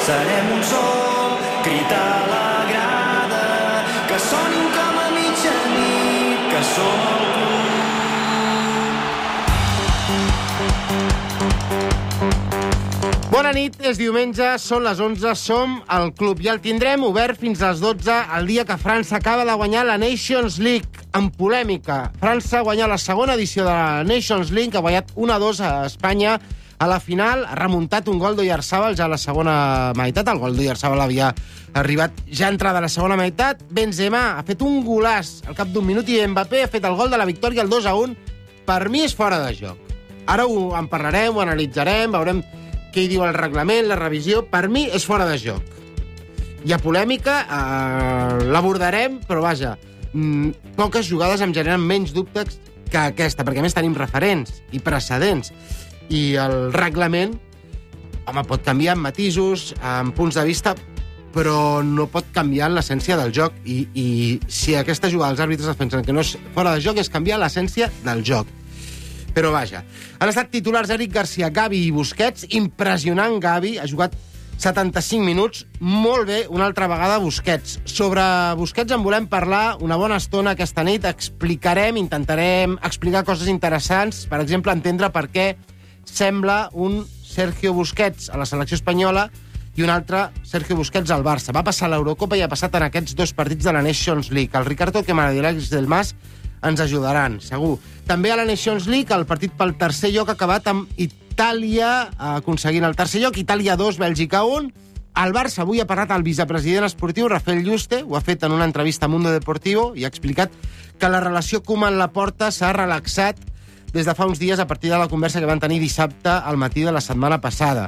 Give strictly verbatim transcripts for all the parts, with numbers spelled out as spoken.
serem un sol, crit a la grada, que sonin com a mitjanit, que som el club. Bona nit, és diumenge, són les onze, som al club i el tindrem obert fins a les dotze el dia que França acaba de guanyar la Nations League, amb polèmica. França ha guanyat la segona edició de la Nations League, ha guanyat un a dos a Espanya. A la final ha remuntat un gol d'Oyarzabal ja a la segona meitat. El gol d'Oyarzabal havia arribat ja entrada a la segona meitat. Benzema ha fet un golàs al cap d'un minut i Mbappé ha fet el gol de la victòria, el dos a un. Per mi és fora de joc. Ara ho en parlarem, ho analitzarem, veurem què hi diu el reglament, la revisió. Per mi és fora de joc. Hi ha polèmica, eh, l'abordarem, però vaja, mmm, poques jugades em generen menys dubtes que aquesta, perquè a més tenim referents i precedents. I el reglament, home, pot canviar en matisos, en punts de vista, però no pot canviar en l'essència del joc. I, i si aquesta jugada els àrbitres defensen que no és fora de joc, és canviar l'essència del joc. Però vaja, han estat titulars Eric Garcia, Gavi i Busquets. Impressionant Gavi, ha jugat setanta-cinc minuts, molt bé una altra vegada Busquets. Sobre Busquets en volem parlar una bona estona aquesta nit, explicarem, intentarem explicar coses interessants, per exemple, entendre per què sembla un Sergio Busquets a la selecció espanyola i un altre Sergio Busquets al Barça. Va passar a l'Eurocopa i ha passat en aquests dos partits de la Nations League. El Ricardo Quemada i l'Àlex del Mas ens ajudaran, segur. També a la Nations League, el partit pel tercer lloc ha acabat amb Itàlia aconseguint el tercer lloc, Itàlia dos, Bèlgica un. El Barça avui ha parlat al vicepresident esportiu, Rafael Yuste, ho ha fet en una entrevista a Mundo Deportivo i ha explicat que la relació Koeman-Laporta s'ha relaxat des de fa uns dies a partir de la conversa que van tenir dissabte al matí de la setmana passada.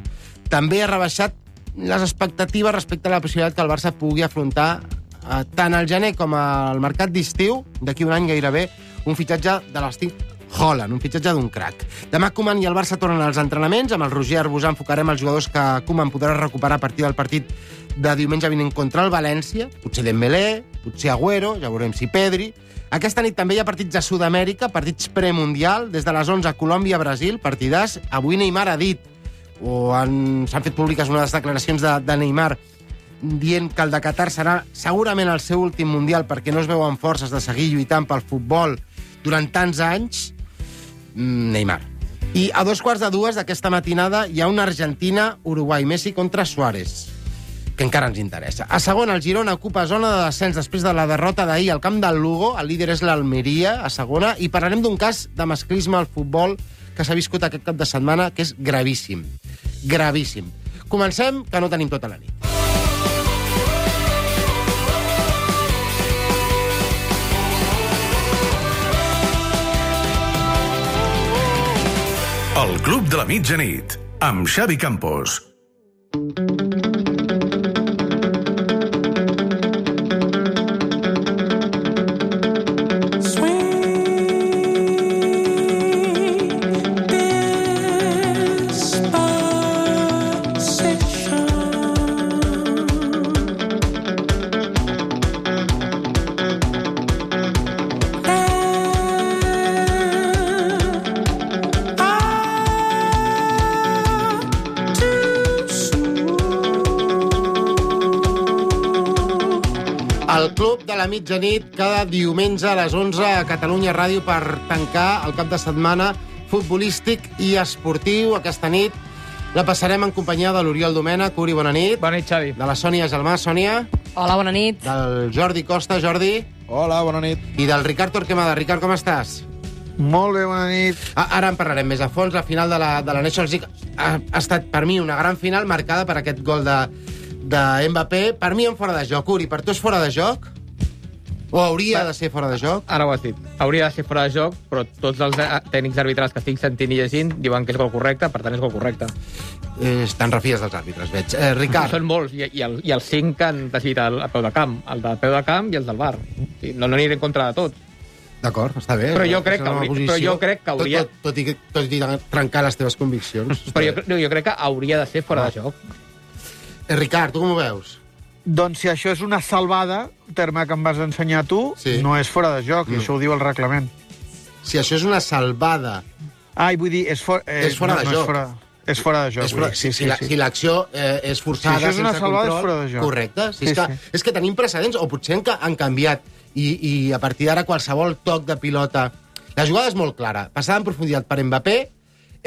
També ha rebaixat les expectatives respecte a la possibilitat que el Barça pugui afrontar eh, tant al gener com al mercat d'estiu, d'aquí un any gairebé, un fitxatge de l'estil Haaland, un fitxatge d'un crac. Demà Koeman i el Barça tornen als entrenaments. Amb el Roger Arbusà enfocarem els jugadors que Koeman podrà recuperar a partir del partit de diumenge vinent contra el València. Potser Dembélé, potser Agüero, ja veurem si Pedri. Aquesta nit també hi ha partits a Sud-amèrica, partits premundial, des de les onze a Colòmbia-Brasil, partidars. Avui Neymar ha dit, o han, s'han fet públiques unes declaracions de, de Neymar dient que el de Qatar serà segurament el seu últim mundial perquè no es veuen forces de seguir lluitant pel futbol durant tants anys. Neymar. I a dos quarts de dues d'aquesta matinada hi ha una Argentina-Uruguai, Messi contra Suárez, que encara ens interessa. A segona, el Girona ocupa zona de descens després de la derrota d'ahir al camp del Lugo. El líder és l'Almeria, a segona, i parlarem d'un cas de masclisme al futbol que s'ha viscut aquest cap de setmana, que és gravíssim. Gravíssim. Comencem, que no tenim tota la nit. El Club de la Mitjanit, amb Xavi Campos. El Club de la Mitjanit, cada diumenge a les onze a Catalunya Ràdio per tancar el cap de setmana futbolístic i esportiu. Aquesta nit la passarem en companyia de l'Oriol Domènech. Uri, bona nit. Bona nit, Xavi. De la Sònia Gelmà. Sònia. Hola, bona nit. Del Jordi Costa. Jordi. Hola, bona nit. I del Ricard Torquemada. Ricard, com estàs? Molt bé, bona nit. Ah, ara en parlarem més a fons. La final de la, de la Nations League ha, ha estat, per mi, una gran final marcada per aquest gol de, de Mbappé. Per mi, en fora de joc. Uri, per tu és fora de joc? O hauria de ser fora de joc? Ara ho has dit. Hauria de ser fora de joc, però tots els tècnics arbitrals que estic sentint i llegint diuen que és gol correcte, per tant és gol correcte. Eh, estan refies dels àrbitres, veig. Eh, Ricard. Són molts, i, i, el, i els cinc que han decidit el, el peu de camp. El del peu de camp i els del V A R. No, no aniré en contra de tots. D'acord, està bé. Però jo crec que hauria- però jo crec que hauria- Tot, tot, tot, i, tot i trencar les teves conviccions. Però jo, jo crec que hauria de ser fora de joc. Eh, Ricard, tu com ho veus? Doncs si això és una salvada, terme que em vas ensenyar tu, Sí. no és fora de joc, Mm. i això ho diu el reglament. Si això és una salvada, Ai, vull dir, és, for, eh, és fora no, de no joc. És fora... És fora de joc. És fora, sí, si, sí, si, la, sí. si l'acció eh, és forçada, Si això és una sense salvada, control... és fora de joc. Correcte. Si Sí, és, que, sí. és que tenim precedents, o potser han, ca- han canviat, i, i a partir d'ara qualsevol toc de pilota... La jugada és molt clara. Passada en profunditat per Mbappé,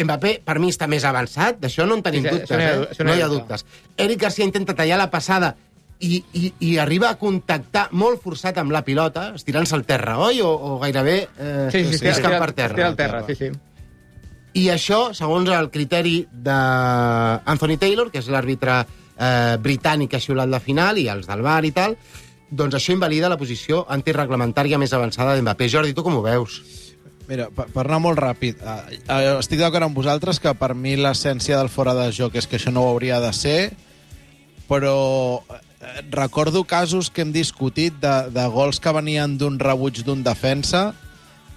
Mbappé, per mi, està més avançat, d'això no en tenim Sí, sí, dubtes, això no hi ha- eh? això no No hi hi ha ha dubte. dubtes. Eric Garcia intenta tallar la passada i, i, i arriba a contactar molt forçat amb la pilota, estirant-se al terra, oi? O, o gairebé eh, Sí, sí, sí, és cap estira- per terra. estira al terra, sí, sí. I això, segons el criteri d'Anthony Taylor, que és l'àrbitre eh, britànic que ha xiulat la final, i els del V A R i tal, doncs això invalida la posició antireglamentària més avançada d'Mbappé. Jordi, tu com ho veus? Mira, per, per anar molt ràpid, eh, eh, estic d'acord amb vosaltres que per mi l'essència del fora de joc és que això no ho hauria de ser, però eh, recordo casos que hem discutit de, de gols que venien d'un rebuig d'un defensa,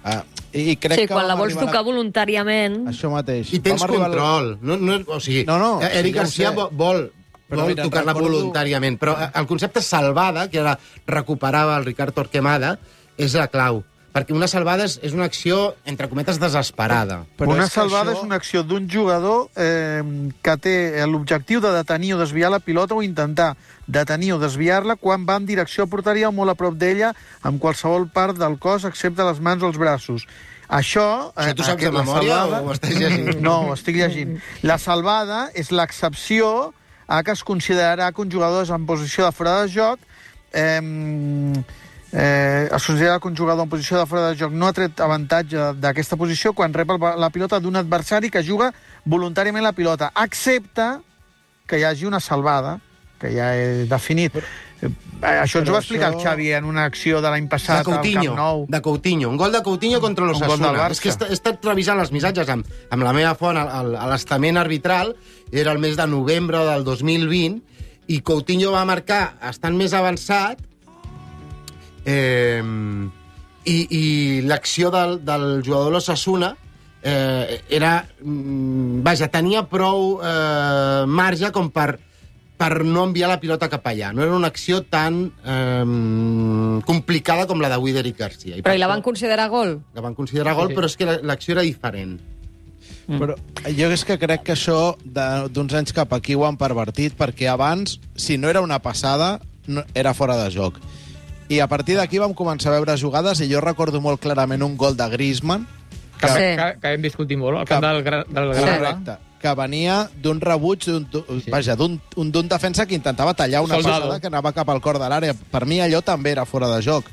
eh, i crec Sí, que quan la vam vols arribar tocar a... voluntàriament... Això mateix. I tens Vam arribar al- control. No, no, o sigui, No, no, eh, Eric sí, ja ho Garcia sé. vo- vol, Però vol mira, tocar-la recordo- voluntàriament, però eh, el concepte salvada, que ara recuperava el Ricard Torquemada, és la clau. Perquè una salvada és, és una acció, entre cometes, desesperada. Però una és que salvada això- és una acció d'un jugador eh, que té l'objectiu de detenir o desviar la pilota o intentar detenir o desviar-la quan va en direcció a porteria o molt a prop d'ella amb qualsevol part del cos excepte les mans o els braços. Això... Això tu saps aquest- de la memòria salvada- o ho estàs llegint? No, ho estic llegint. La salvada és l'excepció a que es considerarà que un jugador és en posició de fora de joc eh, eh, es considera que un jugador en posició de fora de joc no ha tret avantatge d'aquesta posició quan rep el, la pilota d'un adversari que juga voluntàriament la pilota, excepte que hi hagi una salvada, que ja he definit. Però, eh, això ens ho va explicar això- el Xavi en una acció de l'any De passat al Coutinho, Camp Nou. de Coutinho. Un gol de Coutinho contra Un gol del l'Osasuna. Barça. És que he estat- he estat revisant els missatges amb, amb la meva font a, a l'estament arbitral, era el mes de novembre del dos mil vint, i Coutinho va marcar, estant més avançat, eh, i, i l'acció del, del jugador de l'Osasuna eh, era... mm, Vaja, tenia prou eh, marge com per per no enviar la pilota cap allà. No era una acció tan eh, complicada com la d'avui d'Eric Garcia. Però per i la això van considerar gol? La van considerar gol, Sí, sí. però és que la- l'acció era diferent. Però jo és que crec que això de- d'uns anys cap aquí ho han pervertit, perquè abans, si no era una passada, no, era fora de joc. I a partir d'aquí vam començar a veure jugades, i jo recordo molt clarament un gol de Griezmann, Que, Sí. que, que hem discutit molt, al camp Que- del, Gra- del Sí. Granada. correcte, que venia d'un rebuig, d'un, Sí. vaja, d'un un- d'un defensa que intentava tallar una Soldado. passada que anava cap al cor de l'àrea. Per mi allò també era fora de joc.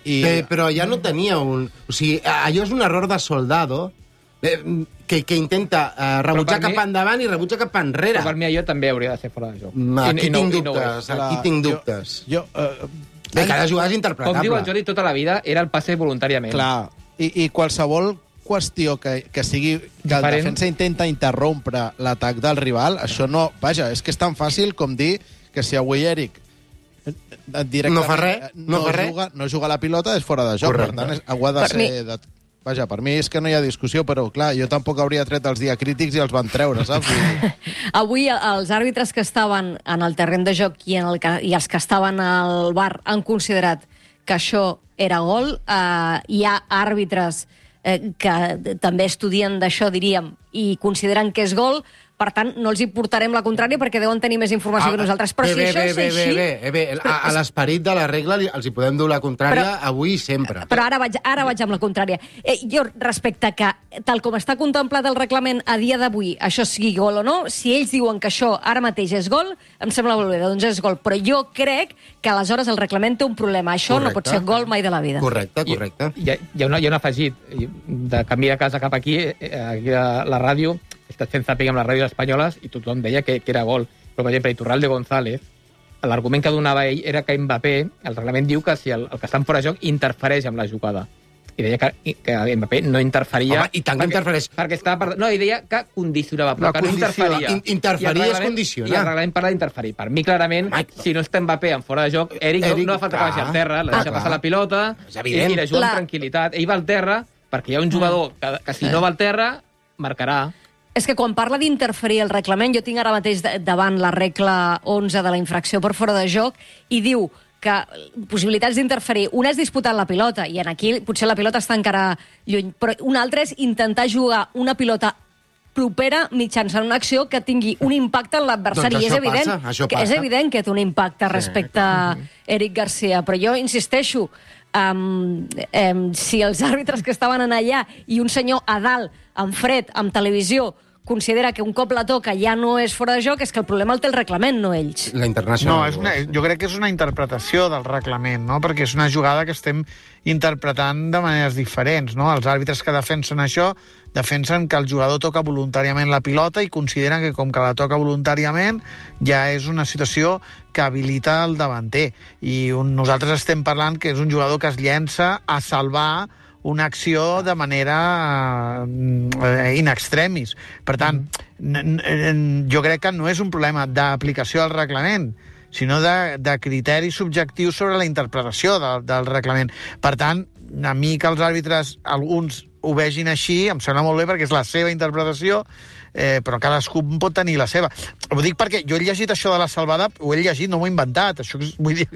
I Eh, però ja no tenia un... O sigui, allò és un error de soldado eh, que, que intenta eh, rebutjar per mi- cap endavant i rebutja cap enrere. Però per mi allò també hauria de ser fora de joc. Mm, Aquí I- i no- tinc i no ho és. dubtes, aquí tinc dubtes. Jo, eh, Bé, cada jugada és Com interpretable. diu el Jordi, tota la vida era el passe voluntàriament. clar, i, i qualsevol qüestió que, que sigui que el Diferent. defensa intenta interrompre l'atac del rival, això no... Vaja, és que és tan fàcil com dir que si avui Eric eh, eh, directament No fa res, eh, no no, fa res. juga, no juga a la pilota, és fora de joc. Correcte. Per tant, és, ho ha de Per ser... mi- De... Vaja, per mi és que no hi ha discussió, però clar, jo tampoc hauria tret els diacrítics i els van treure, saps? Vull dir, Avui eh, els àrbitres que estaven en el terreny de joc i, en el que, i els que estaven al bar han considerat que això era gol. Uh, hi ha àrbitres eh, que també estudien d'això, diríem, i consideren que és gol. Per tant, no els hi portarem la contrària perquè deuen tenir més informació que nosaltres. Però bé, si bé, això bé, és bé, així... Bé, bé, bé. A, a l'esperit de la regla li- els hi podem dur la contrària Però- avui i sempre. Però ara vaig, ara vaig amb la contrària. Eh, jo, respecte a que, tal com està contemplat el reglament a dia d'avui, això sigui gol o no, si ells diuen que això ara mateix és gol, em sembla molt bé, doncs és gol. Però jo crec que aleshores el reglament té un problema. Això no pot Correcte. ser gol mai de la vida. Correcte, correcte. Hi ha, hi, ha una, hi ha un afegit. De camí de casa cap aquí, eh, aquí a la ràdio, he estat fent zàping amb les ràdios espanyoles i tothom deia que, que era gol. Però, per exemple, Iturralde González, l'argument que donava ell era que Mbappé, el reglament diu que si el, el que està en fora de joc interfereix amb la jugada. I deia que, que Mbappé no interferia... Home, i tant que interfereix. Perquè estava... Per... No, i deia que condicionava, però La que no condició, interferia. in- interferir I el reglament- és condicionar. I el reglament parla d'interferir. Per mi, clarament, Home, si no està Mbappé en fora de joc, Eric, Eric, no, no fa falta que clar. vagi al terra, la Ah, deixa clar. passar la pilota És i, evident. i la juga La- amb tranquil·litat. Ell va al terra perquè hi ha un jugador que, que si no va al terra, marcarà. És que quan parla d'interferir el reglament, jo tinc ara mateix de- davant la regla onze de la infracció per fora de joc i diu que possibilitats d'interferir. Una és disputar la pilota, i en aquí potser la pilota està encara lluny, però una altra és intentar jugar una pilota propera mitjançant una acció que tingui un impacte en l'adversari. Doncs I és això evident, passa, això que és passa. evident que té un impacte respecte a Eric Garcia, però jo insisteixo, um, um, si els àrbitres que estaven en allà i un senyor a dalt, en fred, amb televisió, considera que un cop la toca ja no és fora de joc, és que el problema el té el reglament, no ells. La internacional. No, és una, jo crec que és una interpretació del reglament, no? Perquè és una jugada que estem interpretant de maneres diferents, no? Els àrbitres que defensen això defensen que el jugador toca voluntàriament la pilota i consideren que com que la toca voluntàriament ja és una situació que habilita el davanter. I un, nosaltres estem parlant que és un jugador que es llença a salvar una acció de manera eh, in extremis. Per tant, mm. jo crec que no és un problema d'aplicació del reglament, sinó de, de criteris subjectius sobre la interpretació de, del reglament. Per tant, a mi que els àrbitres, alguns ho vegin així, em sembla molt bé perquè és la seva interpretació, eh, però cadascú pot tenir la seva. Ho dic perquè jo he llegit això de la salvada, ho he llegit, no m'ho he inventat, això, vull dir,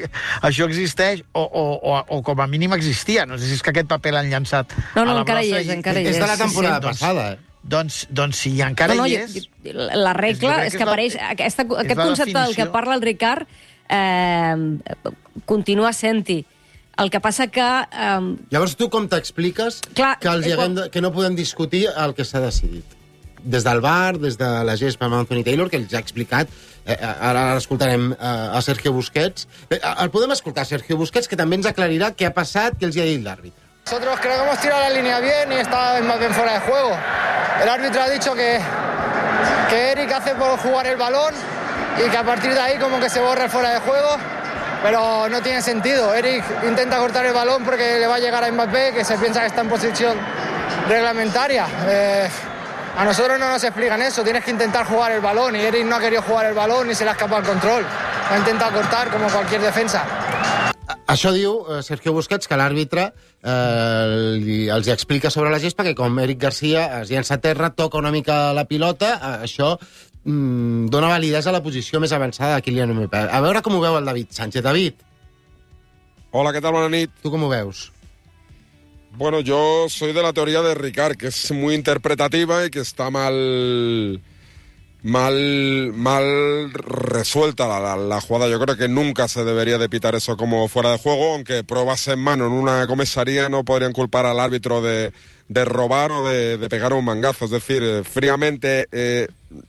això existeix, o, o, o, o com a mínim existia, no sé si és que aquest paper l'han llançat no, no, a la encara brossa. hi és, encara hi és. És de la temporada sí, passada, eh? Doncs, doncs si encara no, no, hi jo, és... jo, la regla és, és que la, apareix... Aquesta, aquest concepte del que definició. parla el Ricard eh, continua sent-hi. El que passa que... Eh, Llavors tu com t'expliques Clar, que, els eh, haguem de, que no podem discutir el que s'ha decidit? Des del V A R, des de la gespa amb Anthony Taylor, que els ha explicat, eh, ara escoltarem eh, a Sergio Busquets. Eh, el podem escoltar, Sergio Busquets, que també ens aclarirà què ha passat, què els hi ha dit l'àrbitre. Nosotros creo que hemos tirado la línea bien y está más bien fuera de juego. El árbitro ha dicho que, que Eric hace por jugar el balón y que a partir de ahí como que se borra el fuera de juego, pero no tiene sentido. Eric intenta cortar el balón porque le va a llegar a Mbappé, que se piensa que está en posición reglamentaria. Eh, a nosotros no nos explican eso, tienes que intentar jugar el balón y Eric no ha querido jugar el balón ni se le ha escapado el control. Ha intentado cortar como cualquier defensa. Això diu eh, Sergio Busquets, que l'àrbitre eh, li, els explica sobre la gespa que com Eric Garcia es llença a terra, toca una mica la pilota, eh, això mm, dona validesa a la posició més avançada de Kylian Mbappé. A veure com ho veu el David Sánchez. David. Hola, ¿qué tal? Buenas nit. Tu com ho veus? Bueno, yo soy de la teoría de Ricard, que es muy interpretativa y que está mal... Mal, mal resuelta la, la, la jugada. Yo creo que nunca se debería de pitar eso como fuera de juego, aunque pruebas en mano en una comisaría no podrían culpar al árbitro de, de robar o de, de pegar un mangazo. Es decir, eh, fríamente eh,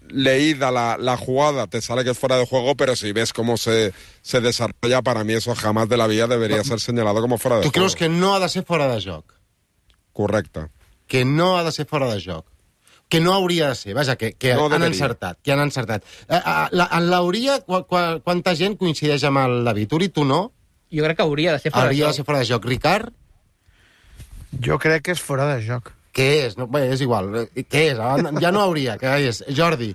leída la, la jugada te sale que es fuera de juego, pero si ves cómo se, se desarrolla, para mí eso jamás de la vida debería ser señalado como fuera de tu juego. Tu creus que no ha de ser fora de joc? Correcte. Que no ha de ser fora de joc. Que no hauria de ser, vaja, que, que no han deberia. encertat, que han encertat. Eh, la, en l'hauria, qu qu quanta gent coincideix amb el David? Uri, tu no? Jo crec que hauria de ser fora hauria de joc. de ser fora de joc. Ricard? Jo crec que és fora de joc. Què és? No, bé, és igual. Què és? Ja no hauria. Què és? Jordi?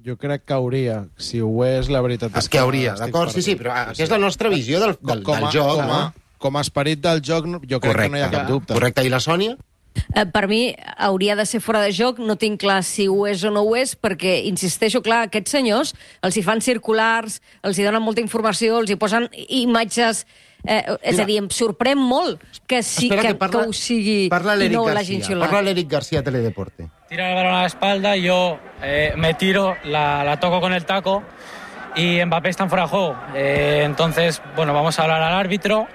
Jo crec que hauria. Si ho és, la veritat és que... que hauria, d'acord? Sí, sí, però aquesta és la nostra visió del, del, com a, del joc. Com a, no? com a esperit del joc, jo crec correcte, que no hi ha cap dubte. Correcte. I la Sònia? Eh, per mi hauria de ser fora de joc, no tinc clar si ho és o no ho és, perquè, insisteixo, clar, aquests senyors els hi fan circulars, els hi donen molta informació, els hi posen imatges... Eh, és Mira, a dir, em sorprèn molt que, sí, que, que, parla, que ho sigui parla i no l'hagin xiulat. Parla l'Eric García, Teledeporte. Tira el balón a la espalda, yo eh, me tiro, la, la toco con el taco y Mbappé está en fuera de juego. Eh, entonces, bueno, vamos a hablar al árbitro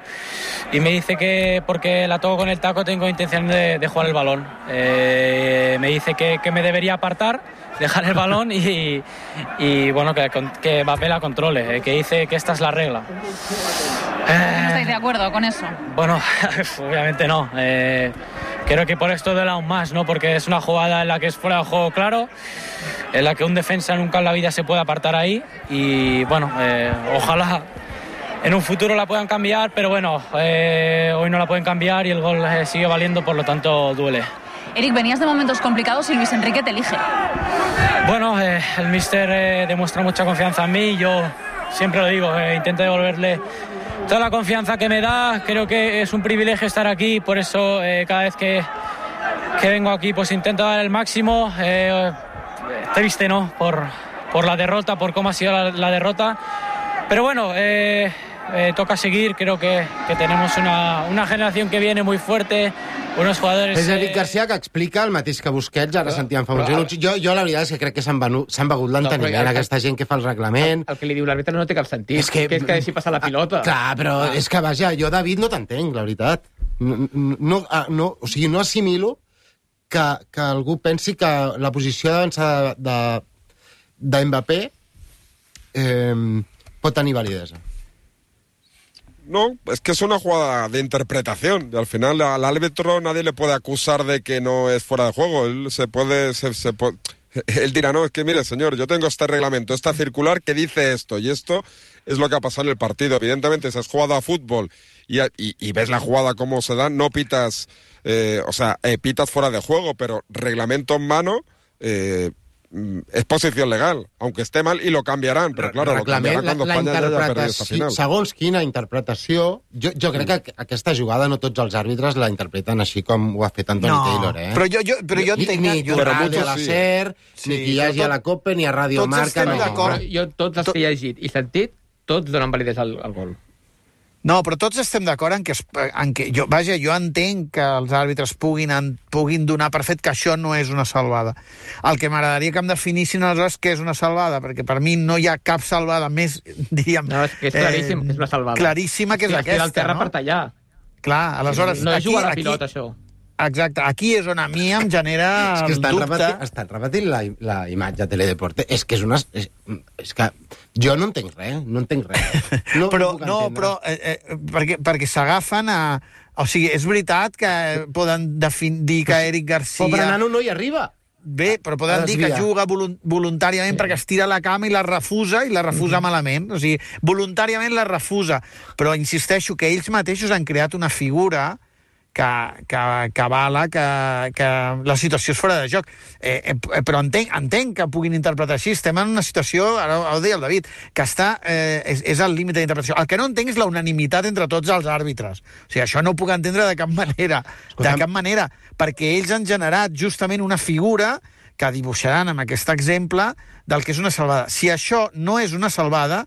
y me dice que porque la toco con el taco tengo intención de, de jugar el balón. Eh, me dice que, que me debería apartar, dejar el balón y, y bueno, que, que Mbappé la controle, eh, que dice que esta es la regla. Eh, ¿No estáis de acuerdo con eso? Bueno, obviamente no. Eh, creo que por esto duele aún más, ¿no? Porque es una jugada en la que es fuera de juego claro, en la que un defensa nunca en la vida se puede apartar ahí y bueno, eh, ojalá en un futuro la puedan cambiar, pero bueno, eh, hoy no la pueden cambiar y el gol eh, sigue valiendo, por lo tanto duele. Eric, venías de momentos complicados y Luis Enrique te elige. Bueno, eh, el míster eh, demuestra mucha confianza en mí, yo siempre lo digo, eh, intento devolverle toda la confianza que me da. Creo que es un privilegio estar aquí, por eso eh, cada vez que, que vengo aquí pues intento dar el máximo. Eh, triste, ¿no? Por, por la derrota, por cómo ha sido la, la derrota. Pero bueno, eh, eh, toca seguir. Creo que, que tenemos una, una generación que viene muy fuerte, unos jugadores... És Eric eh, Garcia que explica el mateix que Busquets, ara Però- sentíem fa uns però- minuts. Jo, jo la veritat és que crec que s'han venut- s'han begut l'enteniment, No, però- aquesta gent que fa el reglament. El que li diu l'àrbitre no té cap sentit, És que- que és que deixi passar la pilota. Clar, però Ah. és que, vaja, jo, David, no t'entenc, la veritat. No, no, ah, no, o sigui, no assimilo que, que algú pensi que la posició d'avançada de, de Mbappé eh, pot tenir validesa. No, es que es una jugada de interpretación. Y al final al árbitro nadie le puede acusar de que no es fuera de juego. Él se puede... Se, se puede... Él dirá, no, es que mire, señor, yo tengo este reglamento, esta circular que dice esto, y esto es lo que ha pasado en el partido. Evidentemente, si has jugado a fútbol y, y, y ves la jugada cómo se da, no pitas, eh, o sea, eh, pitas fuera de juego, pero reglamento en mano... Eh, es posición legal, aunque esté mal, y lo cambiarán, pero claro, lo cambiarán cuando España ya haya perdido esta final. Segons quina interpretació, jo, jo crec que aquesta jugada no tots els àrbitres la interpreten així com ho ha fet Anthony No, Taylor, eh? però jo, jo, però jo Ni, entenc... ni jo, Torralde a la sí. SER, Sí, ni qui hi hagi tot- a la COPE, ni a Radio tots Marca, estem no. d'acord. Però jo, tots els Tot- que he llegit i sentit, tots donen validesa al, al gol. No, però tots estem d'acord en que, es- en que jo, vaja, jo entenc que els àrbitres puguin, en, puguin donar per fet que això no és una salvada. El que m'agradaria que em definissin aleshores què és una salvada, perquè per mi no hi ha cap salvada més, diríem... No, és que és claríssim que és una salvada. Claríssima que és I es tira aquesta, al terra no? per tallar. Clar, aleshores... no és aquí, jugar a la aquí, pilota, això. Exacte, aquí és on a mi em genera És que el estan dubte... repetint, estan repetint la, la imatge a Teledeporte. És que és una... És, és que jo no entenc res, no entenc res. No, però, ho puc no, entendre. però eh, eh, perquè, perquè s'agafen a... O sigui, és veritat que poden defin, dir que Eric Garcia... Pobre nano no hi arriba. Bé, però poden dir que Desvia. juga volun voluntàriament perquè es tira a la cama i la refusa, i la refusa malament. O sigui, voluntàriament la refusa. Però insisteixo que ells mateixos han creat una figura que, que, que avala que, que la situació és fora de joc. Eh, eh, però entenc, entenc que puguin interpretar així. Estem en una situació, ara ho deia el David, que està, eh, és, és al límit d'interpretació. El que no entenc és la unanimitat entre tots els àrbitres. O sigui, això no ho puc entendre de cap manera. De cap manera. Perquè ells han generat justament una figura que dibuixaran amb aquest exemple del que és una salvada. Si això no és una salvada,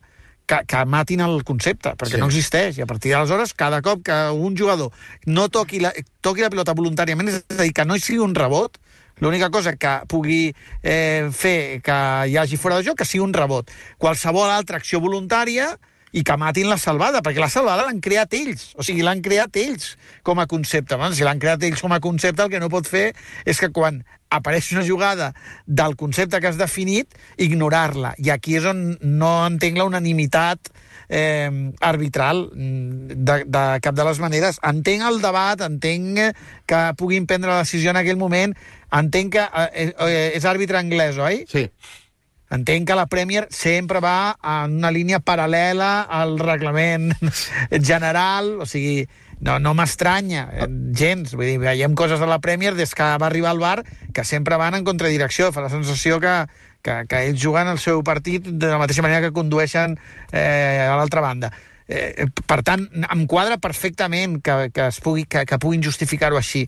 que, que matin el concepte, perquè Sí. no existeix. I a partir d'aleshores, cada cop que un jugador no toqui la, toqui la pilota voluntàriament, és a dir, que no hi sigui un rebot, l'única cosa que pugui eh, fer que hi hagi fora de joc, que sigui un rebot. Qualsevol altra acció voluntària i que matin la salvada, perquè la salvada l'han creat ells, o sigui, l'han creat ells com a concepte. Bueno, si l'han creat ells com a concepte, el que no pot fer és que quan apareix una jugada del concepte que has definit, ignorar-la. I aquí és on no entenc la unanimitat eh, arbitral de, de cap de les maneres. Entenc el debat, entenc que puguin prendre la decisió en aquell moment, entenc que eh, eh, és àrbitre anglès, oi? Sí. Entenc que la Premier sempre va en una línia paral·lela al reglament general, o sigui, no, no m'estranya eh, gens. Vull dir, veiem coses de la Premier des que va arribar al bar que sempre van en contradirecció. Fa la sensació que, que, que ells juguen el seu partit de la mateixa manera que condueixen eh, a l'altra banda. Eh, per tant, em quadra perfectament que, que, es pugui, que, que puguin justificar-ho així.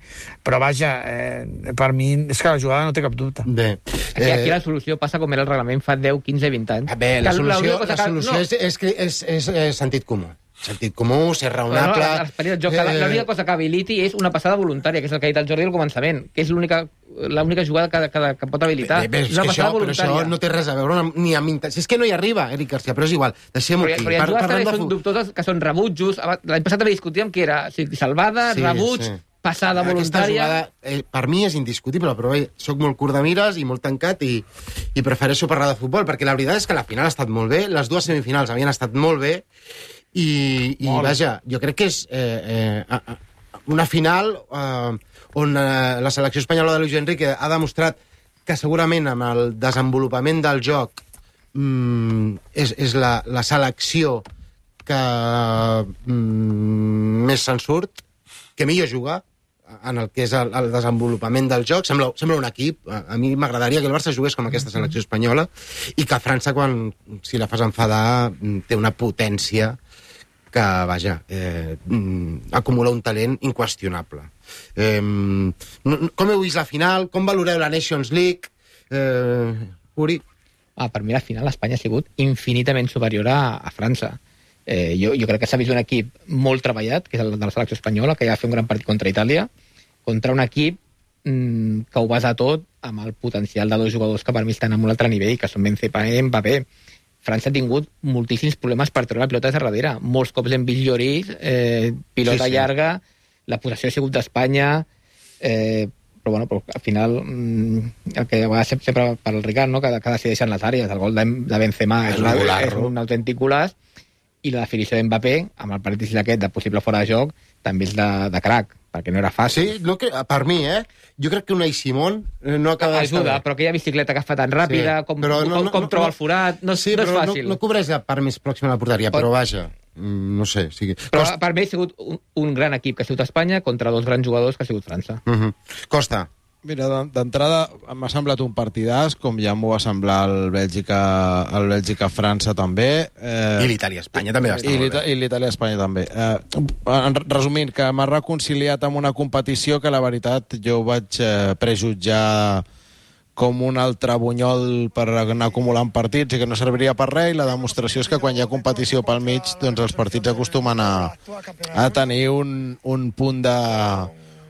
Però vaja, eh, per mi és que la jugada no té cap dubte. Bé. Aquí, aquí la solució passa com era el reglament fa deu, quinze, vint anys. Bé, la Que solució, l'única cosa la que- solució no. és, és, és, és, és, és sentit comú. Sentit comú, ser No, no, raonable... l'esperit del joc, que la- l'única cosa que habiliti és una passada voluntària, que és el que ha dit el Jordi al començament, que és l'única l'única jugada que, que, que pot habilitar. Bé, bé, és és una que això, passada però això voluntària. no té res a veure amb, ni amb... inten- Si és que no hi arriba, Eric Garcia, però és igual. Deixem-ho Però, aquí. però hi ha Par- jugades parlem que de són fu- dubtoses, que són rebutjos. L'any passat també discutíem que era si salvada, Sí, rebuig, sí. passada Aquesta voluntària... jugada, eh, per mi és indiscutible, però bé, soc molt curt de mires i molt tancat i, i prefereixo parlar de futbol, perquè la veritat és que la final ha estat molt bé, les dues semifinals havien estat molt bé, i, i vaja, jo crec que és eh, eh, una final eh, on eh, la selecció espanyola de Luis Enrique ha demostrat que segurament amb el desenvolupament del joc mm, és, és la, la selecció que mm, més se'n surt, que millor juga en el que és el, el desenvolupament del joc. Sembla, sembla un equip. A, a mi m'agradaria que el Barça jugués com aquesta selecció espanyola i que França, quan si la fas enfadar, té una potència que, vaja, eh, acumula un talent inqüestionable. Eh, com heu vist la final? Com valoreu la Nations League? Eh, Uri? Ah, per mi la final Espanya ha sigut infinitament superior a, a França. Eh, jo, jo crec que s'ha vist un equip molt treballat, que és el de la selecció espanyola, que ja va fer un gran partit contra Itàlia, contra un equip mmm, que ho basa tot amb el potencial de dos jugadors que per mi estan a un altre nivell, que són Benzema i Mbappé. França ha tingut moltíssims problemes per treure la pilota de darrere. Molts cops hem vist Lloris, eh, pilota sí, sí. llarga, la possessió ha sigut d'Espanya, eh, però, bueno, però al final mmm, el que va ser sempre per al Ricard, no? que, que decideixen les àrees. El gol de, de Benzema és, una, és un autèntic golaç, i la definició d'Mbappé, amb el partit aquest de possible fora de joc, també és de, de crac, perquè no era fàcil. Sí, no, que, per mi, eh? Jo crec que Unai Simón no acaba d'estar Ajuda, però aquella bicicleta que fa tan ràpida, sí, com, no, com, com no, troba no, el forat, no, sí, no és fàcil. No, no cobreix la part més pròxima a la porteria, però vaja, no sé. Sí. Però Costa... per mi ha sigut un, un gran equip que ha sigut Espanya contra dos grans jugadors que ha sigut França. Uh -huh. Costa. Mira, d'entrada m'ha semblat un partidàs, com ja m'ho va semblar el Bèlgica, el Bèlgica-França també. Eh, I l'Itàlia-Espanya també va estar molt bé. I l'Itàlia-Espanya també. Eh, resumint, que m'ha reconciliat amb una competició que la veritat jo vaig eh, prejutjar com un altre bunyol per anar acumulant partits i que no serviria per res, i la demostració és que quan hi ha competició pel mig, doncs els partits acostumen a, a tenir un, un punt de...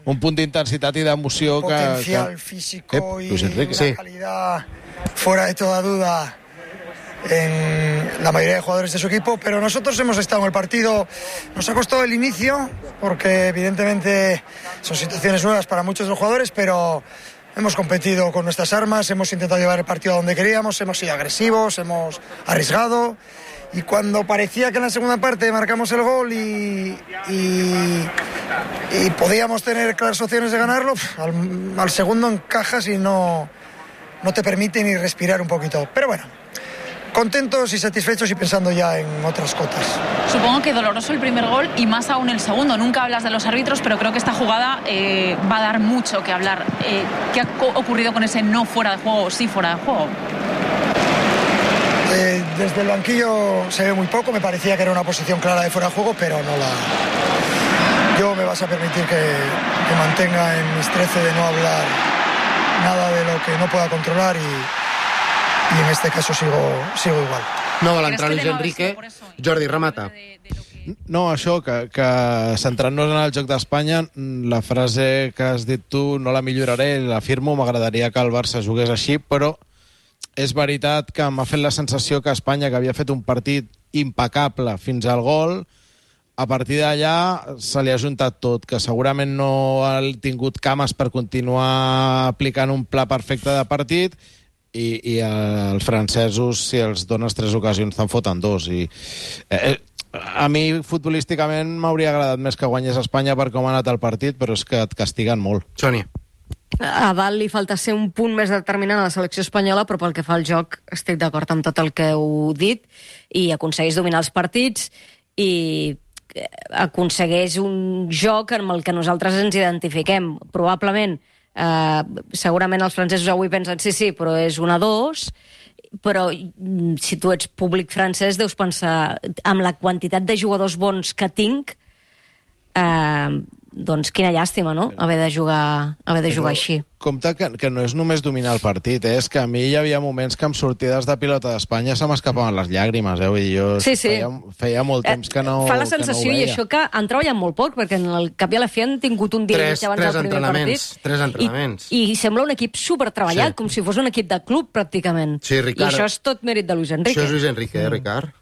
un punt d'intensitat i d'emoció que... Potencial que... físico eh, y una sí. calidad fuera de toda duda en la mayoría de jugadores de su equipo, pero nosotros hemos estado en el partido, nos ha costado el inicio, porque evidentemente son situaciones nuevas para muchos de los jugadores, pero hemos competido con nuestras armas, hemos intentado llevar el partido a donde queríamos, hemos sido agresivos, hemos arriesgado. Y cuando parecía que en la segunda parte marcamos el gol y, y, y podíamos tener claras opciones de ganarlo, al, al segundo encajas y no, no te permite ni respirar un poquito. Pero bueno, contentos y satisfechos y pensando ya en otras cotas. Supongo que doloroso el primer gol y más aún el segundo. Nunca hablas de los árbitros, pero creo que esta jugada eh, va a dar mucho que hablar. Eh, ¿Qué ha ocurrido con ese no fuera de juego o sí fuera de juego? Eh, desde el banquillo se ve muy poco, me parecía que era una posición clara de fuera de juego, pero no la... Yo me vas a permitir que, que mantenga en mis trece de no hablar nada de lo que no pueda controlar y, y en este caso sigo, sigo igual. No vol entrar Luis Enrique. Jordi, remata. No, això, que, que centrant-nos en el joc d'Espanya, la frase que has dit tu no la milloraré, l'afirmo, m'agradaria que el Barça jugués així, però és veritat que m'ha fet la sensació que Espanya, que havia fet un partit impecable fins al gol, a partir d'allà se li ha juntat tot, que segurament no ha tingut cames per continuar aplicant un pla perfecte de partit, i, i els francesos, si els dones tres ocasions, te'n foten dos. I, eh, a mi, futbolísticament, m'hauria agradat més que guanyés Espanya per com ha anat el partit, però és que et castiguen molt. Sònia. A dalt li falta ser un punt més determinant a la selecció espanyola, però pel que fa al joc estic d'acord amb tot el que heu dit, i aconsegueix dominar els partits i aconsegueix un joc amb el que nosaltres ens identifiquem. Probablement, eh, segurament els francesos avui pensen sí, sí, però és una dos, però si tu ets públic francès deus pensar amb la quantitat de jugadors bons que tinc, eh, doncs quina llàstima, no?, haver de jugar, haver de jugar així. Compte que, que no és només dominar el partit, eh? És que a mi hi havia moments que amb sortides de pilota d'Espanya se m'escapaven les llàgrimes, eh? Vull dir, jo sí, sí. Feia, feia molt temps que no, Fa la sensació, no i això, que han treballat molt poc, perquè en el cap i a la fi han tingut un dia tres, abans del primer partit. Tres entrenaments. I, I sembla un equip supertreballat, sí. com si fos un equip de club, pràcticament. Sí, Ricard. I això és tot mèrit de Luis Enrique. Això és Luis Enrique, eh, Ricard?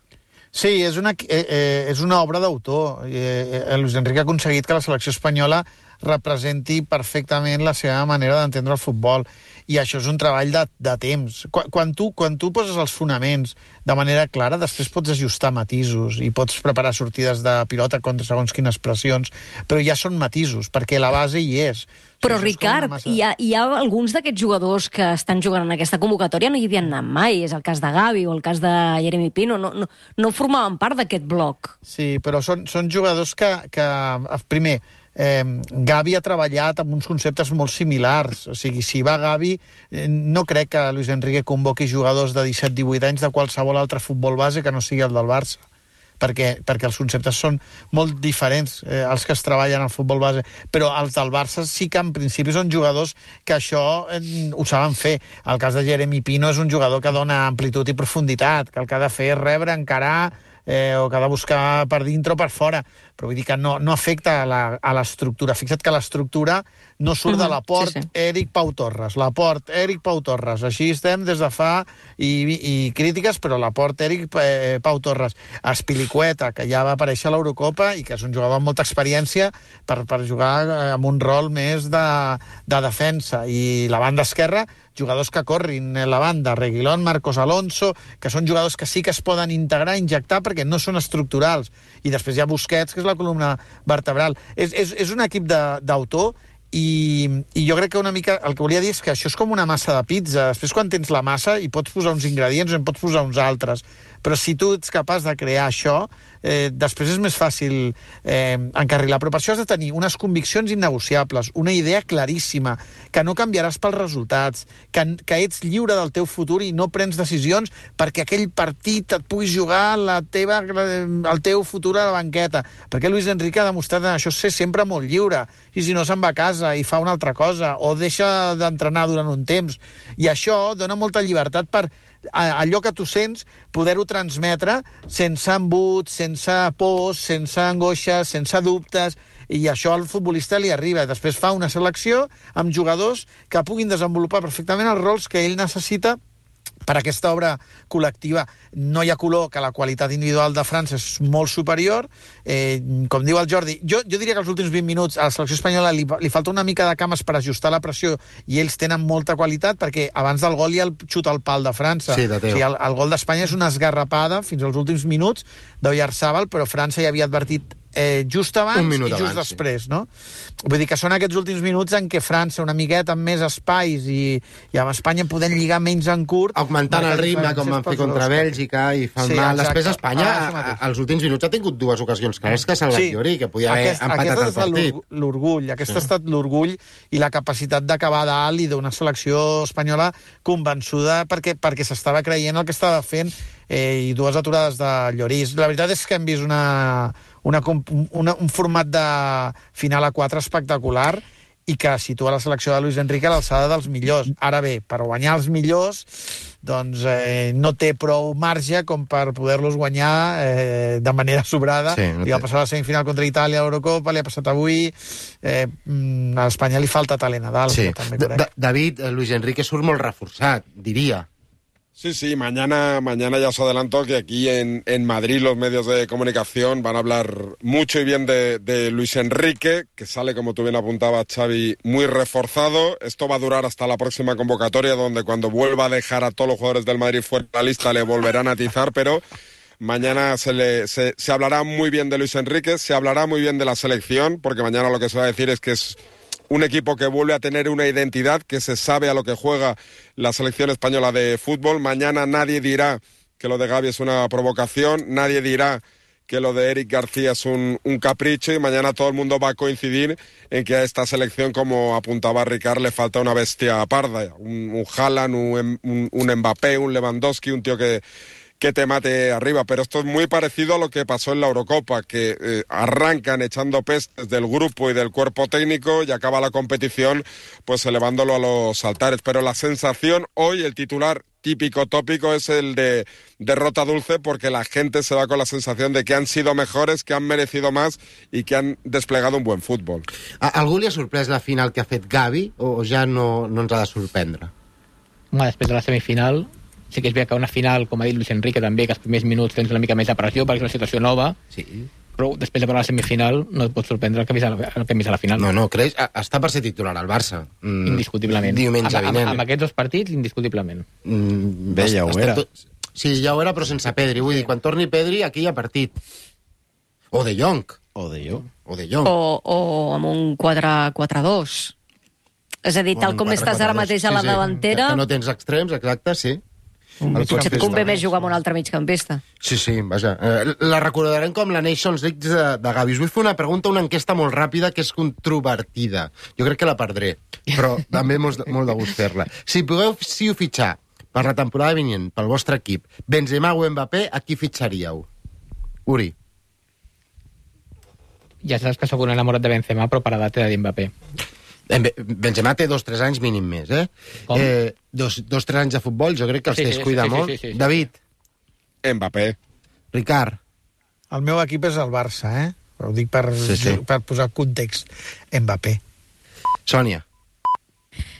Sí, és una, eh, eh, és una obra d'autor. Eh, eh, Luis Enrique ha aconseguit que la selecció espanyola representi perfectament la seva manera d'entendre el futbol, i això és un treball de, de temps. Quan, quan, tu, quan tu poses els fonaments de manera clara, després pots ajustar matisos i pots preparar sortides de pilota contra segons quines pressions, però ja són matisos, perquè la base hi és. Però, Ricard, massa... hi, ha, hi ha alguns d'aquests jugadors que estan jugant en aquesta convocatòria no hi havien anat mai. És el cas de Gavi o el cas de Jeremy Pino. No, no, no formaven part d'aquest bloc. Sí, però són, són jugadors que, que primer, Eh, Gavi ha treballat amb uns conceptes molt similars. O sigui, si va Gavi, eh, no crec que Luis Enrique convoqui jugadors de disset divuit anys de qualsevol altre futbol base que no sigui el del Barça, perquè, perquè els conceptes són molt diferents, eh, els que es treballen al futbol base, però els del Barça sí que en principi són jugadors que això eh, ho saben fer. El cas de Jeremy Pino és un jugador que dona amplitud i profunditat, que el que ha de fer és rebre, encarar, eh, o que ha de buscar per dintre o per fora, però vull dir que no, no afecta a l'estructura. Fixa't que l'estructura no surt uh -huh. de l'aport sí, sí. Eric Pau Torres, l'aport Eric Pau Torres, així estem des de fa i, i crítiques, però l'aport Eric eh, Pau Torres. Espilicueta, que ja va aparèixer a l'Eurocopa i que és un jugador amb molta experiència per, per jugar amb un rol més de, de defensa, i la banda esquerra, jugadors que corrin la banda, Reguilón, Marcos Alonso, que són jugadors que sí que es poden integrar, injectar, perquè no són estructurals. I després hi ha Busquets, que és la columna vertebral. És, és, és un equip d'autor, i, i jo crec que una mica el que volia dir és que això és com una massa de pizza. Després, quan tens la massa, hi pots posar uns ingredients o en pots posar uns altres. Però si tu ets capaç de crear això, eh, després és més fàcil eh, encarrilar. Però per això has de tenir unes conviccions innegociables, una idea claríssima, que no canviaràs pels resultats, que, que ets lliure del teu futur i no prens decisions perquè aquell partit et puguis jugar la teva, el teu futur a la banqueta. Perquè Luis Enrique ha demostrat en això ser sempre molt lliure, i si no se'n va a casa i fa una altra cosa, o deixa d'entrenar durant un temps. I això dona molta llibertat per allò que tu sents, poder-ho transmetre sense embuts, sense pors, sense angoixes, sense dubtes, i això al futbolista li arriba. Després fa una selecció amb jugadors que puguin desenvolupar perfectament els rols que ell necessita per a aquesta obra col·lectiva. No hi ha color que la qualitat individual de França és molt superior. Eh, com diu el Jordi, jo, jo diria que els últims vint minuts a la selecció espanyola li, li falta una mica de cames per ajustar la pressió, i ells tenen molta qualitat, perquè abans del gol hi ha el xut al pal de França. Sí, de o sigui, el, el gol d'Espanya és una esgarrapada fins als últims minuts d'Oyarzabal, però França ja havia advertit eh, just abans i just abans, després, sí. no? Vull dir que són aquests últims minuts en què França, una miqueta amb més espais, i, i amb Espanya podent lligar menys en curt... Augmentant el ritme, com van fer contra Bèlgica, i fan sí, mal. Després Espanya, ah, als últims minuts, ha tingut dues ocasions clares que s'ha sí. Llori, que podia haver Aquest, empatat el partit. L'orgull, aquest sí. ha estat l'orgull i la capacitat d'acabar dalt, i d'una selecció espanyola convençuda perquè, perquè s'estava creient el que estava fent, eh, i dues aturades de Lloris. La veritat és que hem vist una... Una, una, un format de final a quatre espectacular, i que situa la selecció de Luis Enrique a l'alçada dels millors. Ara bé, per guanyar els millors, doncs eh, no té prou marge com per poder-los guanyar eh, de manera sobrada. Sí, no li va passar a la semifinal contra Itàlia a l'Eurocopa, li ha passat avui. Eh, a Espanya li falta talent a dalt. Sí. També, David, Luis Enrique surt molt reforçat, diria. Sí, sí, mañana, mañana ya os adelanto que aquí en, en Madrid los medios de comunicación van a hablar mucho y bien de, de Luis Enrique, que sale, como tú bien apuntabas, Xavi, muy reforzado. Esto va a durar hasta la próxima convocatoria, donde cuando vuelva a dejar a todos los jugadores del Madrid fuera de la lista le volverán a atizar, pero mañana se, le, se, se hablará muy bien de Luis Enrique, se hablará muy bien de la selección, porque mañana lo que se va a decir es que es un equipo que vuelve a tener una identidad, que se sabe a lo que juega la selección española de fútbol. Mañana nadie dirá que lo de Gavi es una provocación, nadie dirá que lo de Eric García es un, un capricho, y mañana todo el mundo va a coincidir en que a esta selección, como apuntaba Ricard, le falta una bestia parda, un, un Haaland, un, un, un Mbappé, un Lewandowski, un tío que... que te mate arriba, pero esto es muy parecido a lo que pasó en la Eurocopa, que eh, arrancan echando pestes del grupo y del cuerpo técnico y acaba la competición pues elevándolo a los altares, pero la sensación hoy, el titular típico tópico, es el de derrota dulce, porque la gente se va con la sensación de que han sido mejores, que han merecido más y que han desplegado un buen fútbol. A algú li ha sorprès la final que ha fet Gavi, o ja no, no ens ha de sorprendre? Home, després de la semifinal sí que és veritat que una final, com ha dit Luis Enrique també, que els primers minuts tens una mica més de pressió perquè és una situació nova, sí. Però després de veure la semifinal no et pot sorprendre el que hem vist a la final. No, no, creus? Està per ser titular al Barça. Mm, indiscutiblement. Diumenge vinent. Amb, amb aquests dos partits, indiscutiblement. Mm, Bé, ja ho era. Tot... Sí, ja ho era, però sense Pedri. Vull dir, quan torni Pedri, aquí hi ha partit. O de Jong. O de Jong. O de Jong. O, o amb un quatre quatre dos. És a dir, tal com estàs ara mateix a la davantera... Que no tens extrems, exacte, sí. Potser et convé més jugar amb un altre migcampista. Sí, sí, vaja. Eh, la recordarem com la Nations League de, de Gavi. Us vull fer una pregunta, una enquesta molt ràpida que és controvertida. Jo crec que la perdré, però també molt, molt de gust fer-la. Si pugueu si ho fitxar per la temporada vinent, pel vostre equip, Benzema o Mbappé, a qui fitxaríeu? Uri. Ja saps que sóc un enamorat de Benzema, però per edat he de dir Mbappé. Benzema té dos o tres anys mínim més, eh? Com? eh dos o tres anys de futbol, jo crec que els sí, descuida sí, sí, molt. Sí, sí, sí, sí. David. Mbappé. Ricard. El meu equip és el Barça, eh? Ho dic per, Sí, sí. per posar context. Mbappé. Sònia.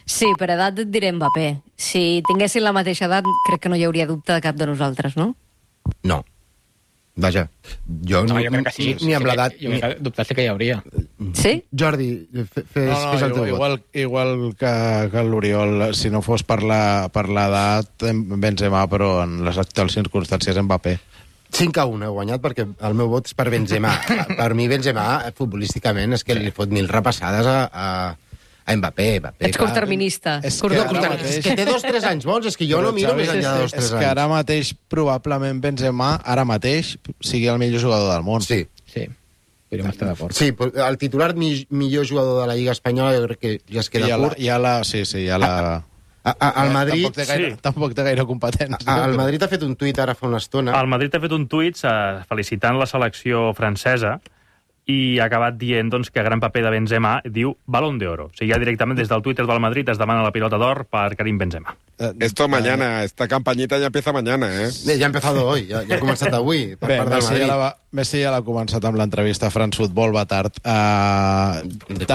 Sí, per edat et diré Mbappé. Si tinguessin la mateixa edat, crec que no hi hauria dubte de cap de nosaltres, no? No. Vaja, jo, No, ni, jo crec que sí. ni, ni amb Sí, l'edat... Jo crec que dubtar sí que hi hauria. Sí? Jordi, fe- fes, No, no, fes el teu igual, vot. igual, igual que, que l'Oriol, si no fos per la- per l'edat, Benzema, però en les actuals circumstàncies Mbappé. cinc a un he guanyat perquè el meu vot és per Benzema. Per mi Benzema, futbolísticament, és que li fot mil repassades a, a, a Mbappé. Mbappé Ets clar. curtterminista. És Curt- que No, ara curtterminista. mateix- És que té dos o tres anys bons, és que jo no miro Xavi, més enllà de dos o és tres que anys. ara mateix, probablement, Benzema, ara mateix, sigui el millor jugador del món. Sí. Sí, podríem estar d'acord. Sí, però el titular mi, millor jugador de la Lliga Espanyola jo crec que ja es queda ja la, curt. ja la, sí, sí, ja la... A, a, al Madrid... Tampoc té gaire, Sí. tampoc té gaire competència. A, el Madrid ha fet un tuit ara fa una estona. El Madrid ha fet un tuit eh, felicitant la selecció francesa i ha acabat dient doncs, que gran paper de Benzema diu Balón de Oro. O sigui, ja directament des del Twitter del Madrid es demana la pilota d'or per Karim Benzema. Esto mañana, esta campañita ya empieza mañana, ¿eh? Eh, Ja ha empezado hoy, ja, ja ha començat avui, per Bé, part del Messi ja, Madrid. la va, Messi ja l'ha començat amb l'entrevista a France Football, va tard. Uh,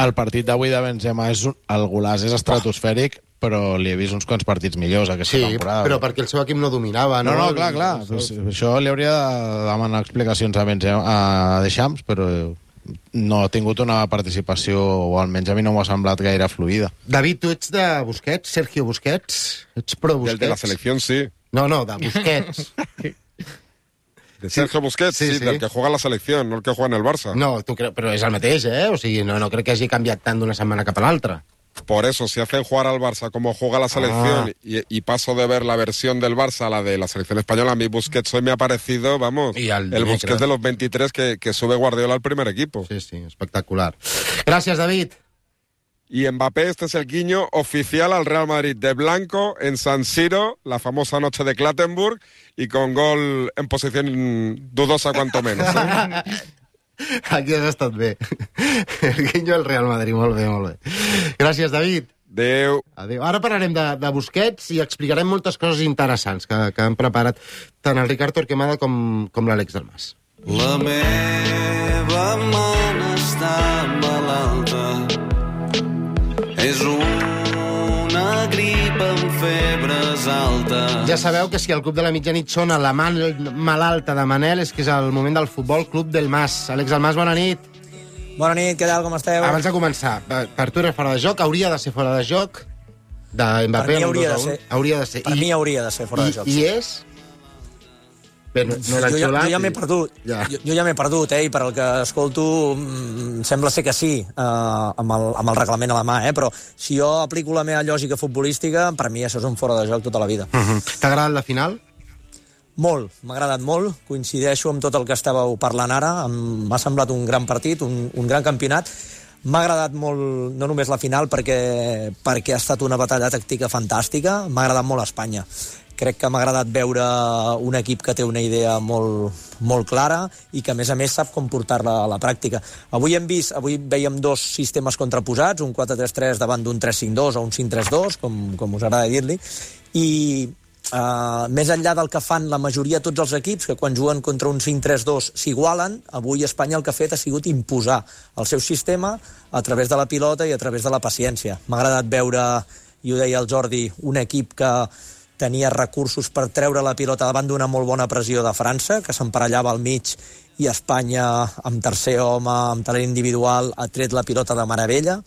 el partit d'avui de Benzema és un, el golaç és estratosfèric, però li he vist uns quants partits millors aquesta Sí, temporada. però perquè el seu equip no dominava. No, No, no, clar, clar. Pues, això li hauria de demanar explicacions a, Benzema, a Deschamps, però no ha tingut una participació, o almenys a mi no m'ha semblat gaire fluida. David, tu ets de Busquets, Sergio Busquets? Ets pro Del Busquets? de la selección, sí. No, no, de Busquets. De Sergio Busquets, Sí, sí, sí. del que juega en la selección, no el que juega en el Barça. No, tu cre... però és el mateix, eh? O sigui, no, no crec que hagi canviat tant d'una setmana cap a l'altra. Por eso, si hacen jugar al Barça como juega la selección Ah. y, y paso de ver la versión del Barça a la de la selección española, a mí Busquets hoy me ha parecido, vamos, Y al el dimecres. Busquets de los veintitrés que, que sube Guardiola al primer equipo. Sí, sí, espectacular. Gràcies, David. Y Mbappé, este es el guiño oficial al Real Madrid de blanco en San Siro, la famosa noche de Clattenburg, y con gol en posición dudosa cuanto menos. ¿eh? Aquí has estat bé. El guinyo al Real Madrid, molt bé, molt bé. Gràcies, David. Adéu. Adéu. Ara parlarem de, de Busquets i explicarem moltes coses interessants que, que han preparat tant el Ricard Torquemada com, com l'Àlex Dalmas. La meva mona està malalta. És una grip amb febres altes. Ja sabeu que si el Club de la Mitjanit sona la man malalta de Manel és que és el moment del Futbol Club del Mas. Àlex Dalmas, bona nit. Bona nit, què tal, com esteu? Abans de començar, per, per tu era fora de joc, hauria de ser fora de joc de Mbappé. Per mi amb hauria dos a de un. ser. Hauria de ser. Per I, mi hauria de ser fora i, de joc. I és... Bé, no, no l'ha jo, ja, xulat jo ja m'he i- perdut. Ja. Jo, jo ja m'he perdut, eh? I per el que escolto, mm, sembla ser que sí, eh, amb, el, amb el reglament a la mà, eh? Però si jo aplico la meva lògica futbolística, per mi això és un fora de joc tota la vida. Uh -huh. T'ha agradat la final? Molt, m'ha agradat molt, coincideixo amb tot el que estàveu parlant ara, em- m'ha semblat un gran partit, un, un gran campionat. M'ha agradat molt, no només la final, perquè, perquè ha estat una batalla tàctica fantàstica, m'ha agradat molt Espanya. Crec que m'ha agradat veure un equip que té una idea molt, molt clara i que, a més a més, sap com portar-la a la pràctica. Avui hem vist, avui veiem dos sistemes contraposats, un quatre tres tres davant d'un tres cinc dos o un cinc tres dos, com, com us agrada dir-li, i Uh, més enllà del que fan la majoria de tots els equips, que quan juguen contra un cinc tres dos s'igualen, avui Espanya el que ha fet ha sigut imposar el seu sistema a través de la pilota i a través de la paciència. M'ha agradat veure, i ho deia el Jordi, un equip que tenia recursos per treure la pilota davant d'una molt bona pressió de França, que s'emparellava al mig, i Espanya, amb tercer home, amb talent individual, ha tret la pilota de meravella.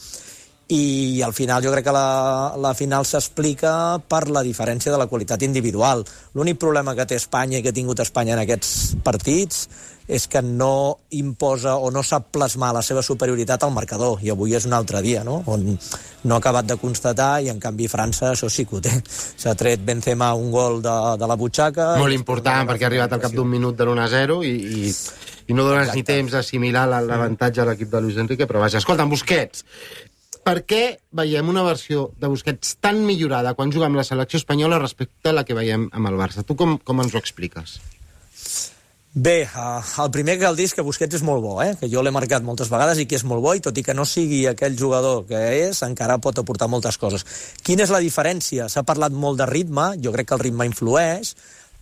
I al final jo crec que la, la final s'explica per la diferència de la qualitat individual. L'únic problema que té Espanya i que ha tingut Espanya en aquests partits és que no imposa o no sap plasmar la seva superioritat al marcador, i avui és un altre dia, no? On no ha acabat de constatar, i en canvi França això sí que ho té. S'ha tret Benzema un gol de, de la butxaca. Molt important, perquè ha arribat al cap d'un minut de l'un a zero i, i, i no dones Exacte. ni temps d'assimilar l'avantatge a l'equip de Luis Enrique, però vaja, escolta, Busquets, per què veiem una versió de Busquets tan millorada quan juga amb la selecció espanyola respecte a la que veiem amb el Barça? Tu com, com ens ho expliques? Bé, uh, el primer que cal dir és que Busquets és molt bo, eh? Que jo l'he marcat moltes vegades i que és molt bo, i tot i que no sigui aquell jugador que és, encara pot aportar moltes coses. Quina és la diferència? S'ha parlat molt de ritme, jo crec que el ritme influeix,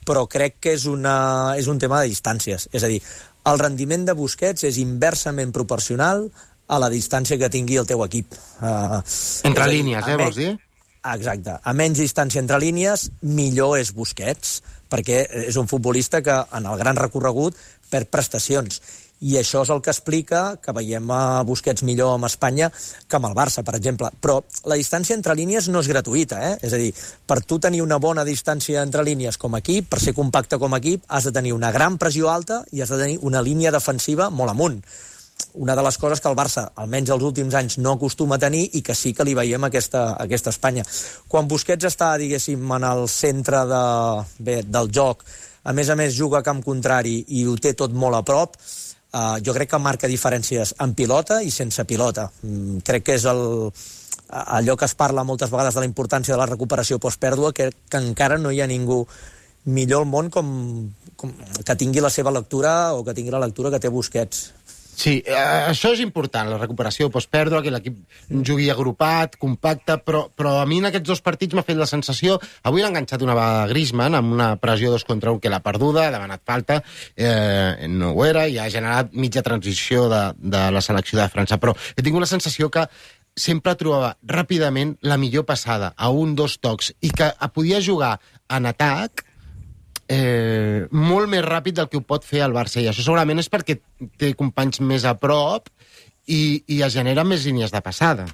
però crec que és, una, és un tema de distàncies. És a dir, el rendiment de Busquets és inversament proporcional a la distància que tingui el teu equip. Uh, Entre línies, eh, vols dir? Exacte. A menys distància entre línies, millor és Busquets, perquè és un futbolista que en el gran recorregut perd prestacions. I això és el que explica que veiem a Busquets millor amb Espanya que amb el Barça, per exemple. Però la distància entre línies no és gratuïta, eh? És a dir, per tu tenir una bona distància entre línies com a equip, per ser compacte com a equip, has de tenir una gran pressió alta i has de tenir una línia defensiva molt amunt. Una de les coses que el Barça, almenys els últims anys, no acostuma a tenir i que sí que li veiem a aquesta, a aquesta Espanya. Quan Busquets està, diguéssim, en el centre de, bé, del joc, a més a més juga a camp contrari i ho té tot molt a prop, Uh, jo crec que marca diferències en pilota i sense pilota. Mm, crec que és el, allò que es parla moltes vegades de la importància de la recuperació postpèrdua, que, que encara no hi ha ningú millor al món com, com que tingui la seva lectura o que tingui la lectura que té Busquets. Sí, eh, això és important, la recuperació postpèrdua, que l'equip jugui agrupat, compacte, però, però a mi en aquests dos partits m'ha fet la sensació... Avui l'ha enganxat una vegada Griezmann amb una pressió dos contra un que l'ha perduda, ha demanat falta, eh, no ho era, i ha generat mitja transició de, de la selecció de França, però he tingut la sensació que sempre trobava ràpidament la millor passada, a un, dos tocs, i que podia jugar en atac Eh, molt més ràpid del que ho pot fer el Barça, i això segurament és perquè té companys més a prop i, i es genera més línies de passada.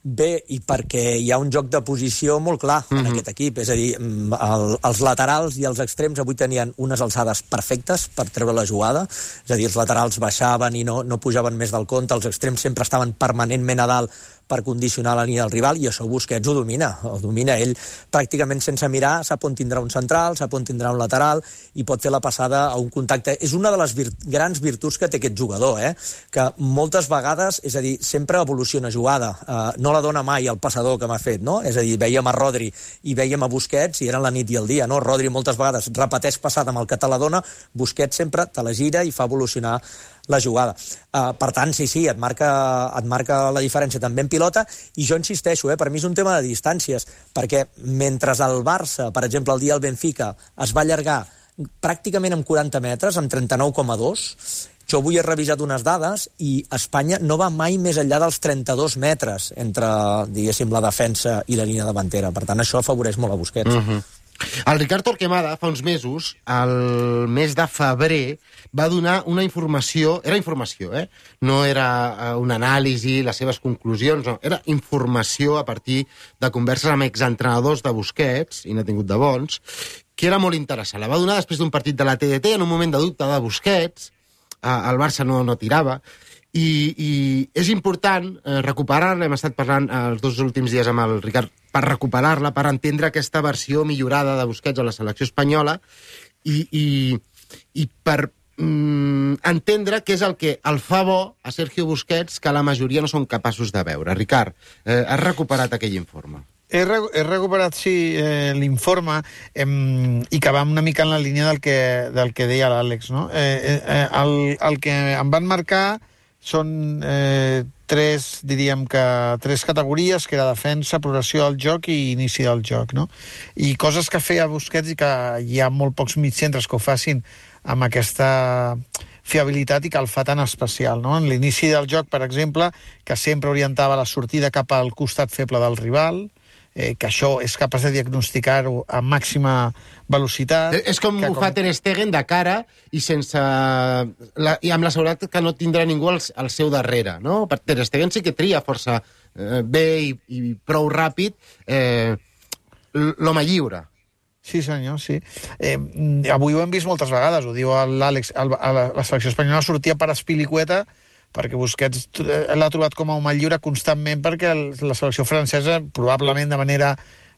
Bé, i perquè hi ha un joc de posició molt clar en mm-hmm. aquest equip, és a dir, el, els laterals i els extrems avui tenien unes alçades perfectes per treure la jugada, és a dir, els laterals baixaven i no, no pujaven més del compte, els extrems sempre estaven permanentment a dalt per condicionar la línia del rival, i això Busquets ho domina, ho domina ell pràcticament sense mirar, sap on tindrà un central, sap on tindrà un lateral, i pot fer la passada a un contacte. És una de les vir grans virtuts que té aquest jugador, eh? Que moltes vegades, és a dir, sempre evoluciona jugada, uh, no la dona mai el passador que m'ha fet, no? És a dir, veiem a Rodri i veiem a Busquets i eren la nit i el dia, no? Rodri moltes vegades repeteix passada amb el que te la dona, Busquets sempre te la gira i fa evolucionar la jugada. Uh, per tant, sí, sí, et marca, et marca la diferència també en pilota, i jo insisteixo, eh, per mi és un tema de distàncies, perquè mentre el Barça, per exemple, el dia del Benfica, es va allargar pràcticament amb quaranta metres, amb trenta-nou coma dos, jo avui he revisat unes dades i Espanya no va mai més enllà dels trenta-dos metres entre, diguéssim, la defensa i la línia davantera. Per tant, això afavoreix molt a Busquets. Uh-huh. El Ricard Torquemada, fa uns mesos, el mes de febrer, va donar una informació... Era informació, eh? No era una anàlisi, les seves conclusions, no. Era informació a partir de converses amb exentrenadors de Busquets, i n'ha tingut de bons, que era molt interessant. La va donar després d'un partit de la T D T, en un moment de dubte de Busquets, el Barça no, no tirava, i, i és important eh, recuperar-la. Hem estat parlant els dos últims dies amb el Ricard per recuperar-la, per entendre aquesta versió millorada de Busquets a la selecció espanyola i, i, i per mm, entendre què és el que el fa bo a Sergio Busquets que la majoria no són capaços de veure. Ricard, eh, has recuperat aquell informe? He, re he recuperat, sí, eh, l'informe eh, i que va una mica en la línia del que, del que deia l'Àlex, no? Eh, eh, el, el que em van marcar són eh, tres, diríem que tres categories, que era defensa, progressió del joc i inici del joc, no? I coses que feia Busquets i que hi ha molt pocs mitjcentres que ho facin amb aquesta fiabilitat i que el fa tan especial, no? En l'inici del joc, per exemple, que sempre orientava la sortida cap al costat feble del rival, eh, que això és capaç de diagnosticar-ho a màxima velocitat. És com ho com... fa Ter Stegen de cara i sense la, i amb la seguretat que no tindrà ningú al, al seu darrere, no? Per Ter Stegen sí que tria força eh, bé i, i prou ràpid eh, l'home lliure. Sí, senyor, sí. Eh, avui ho hem vist moltes vegades, ho diu l'Àlex, la, la selecció espanyola sortia per Azpilicueta perquè Busquets l'ha trobat com a home lliure constantment, perquè la selecció francesa, probablement de manera...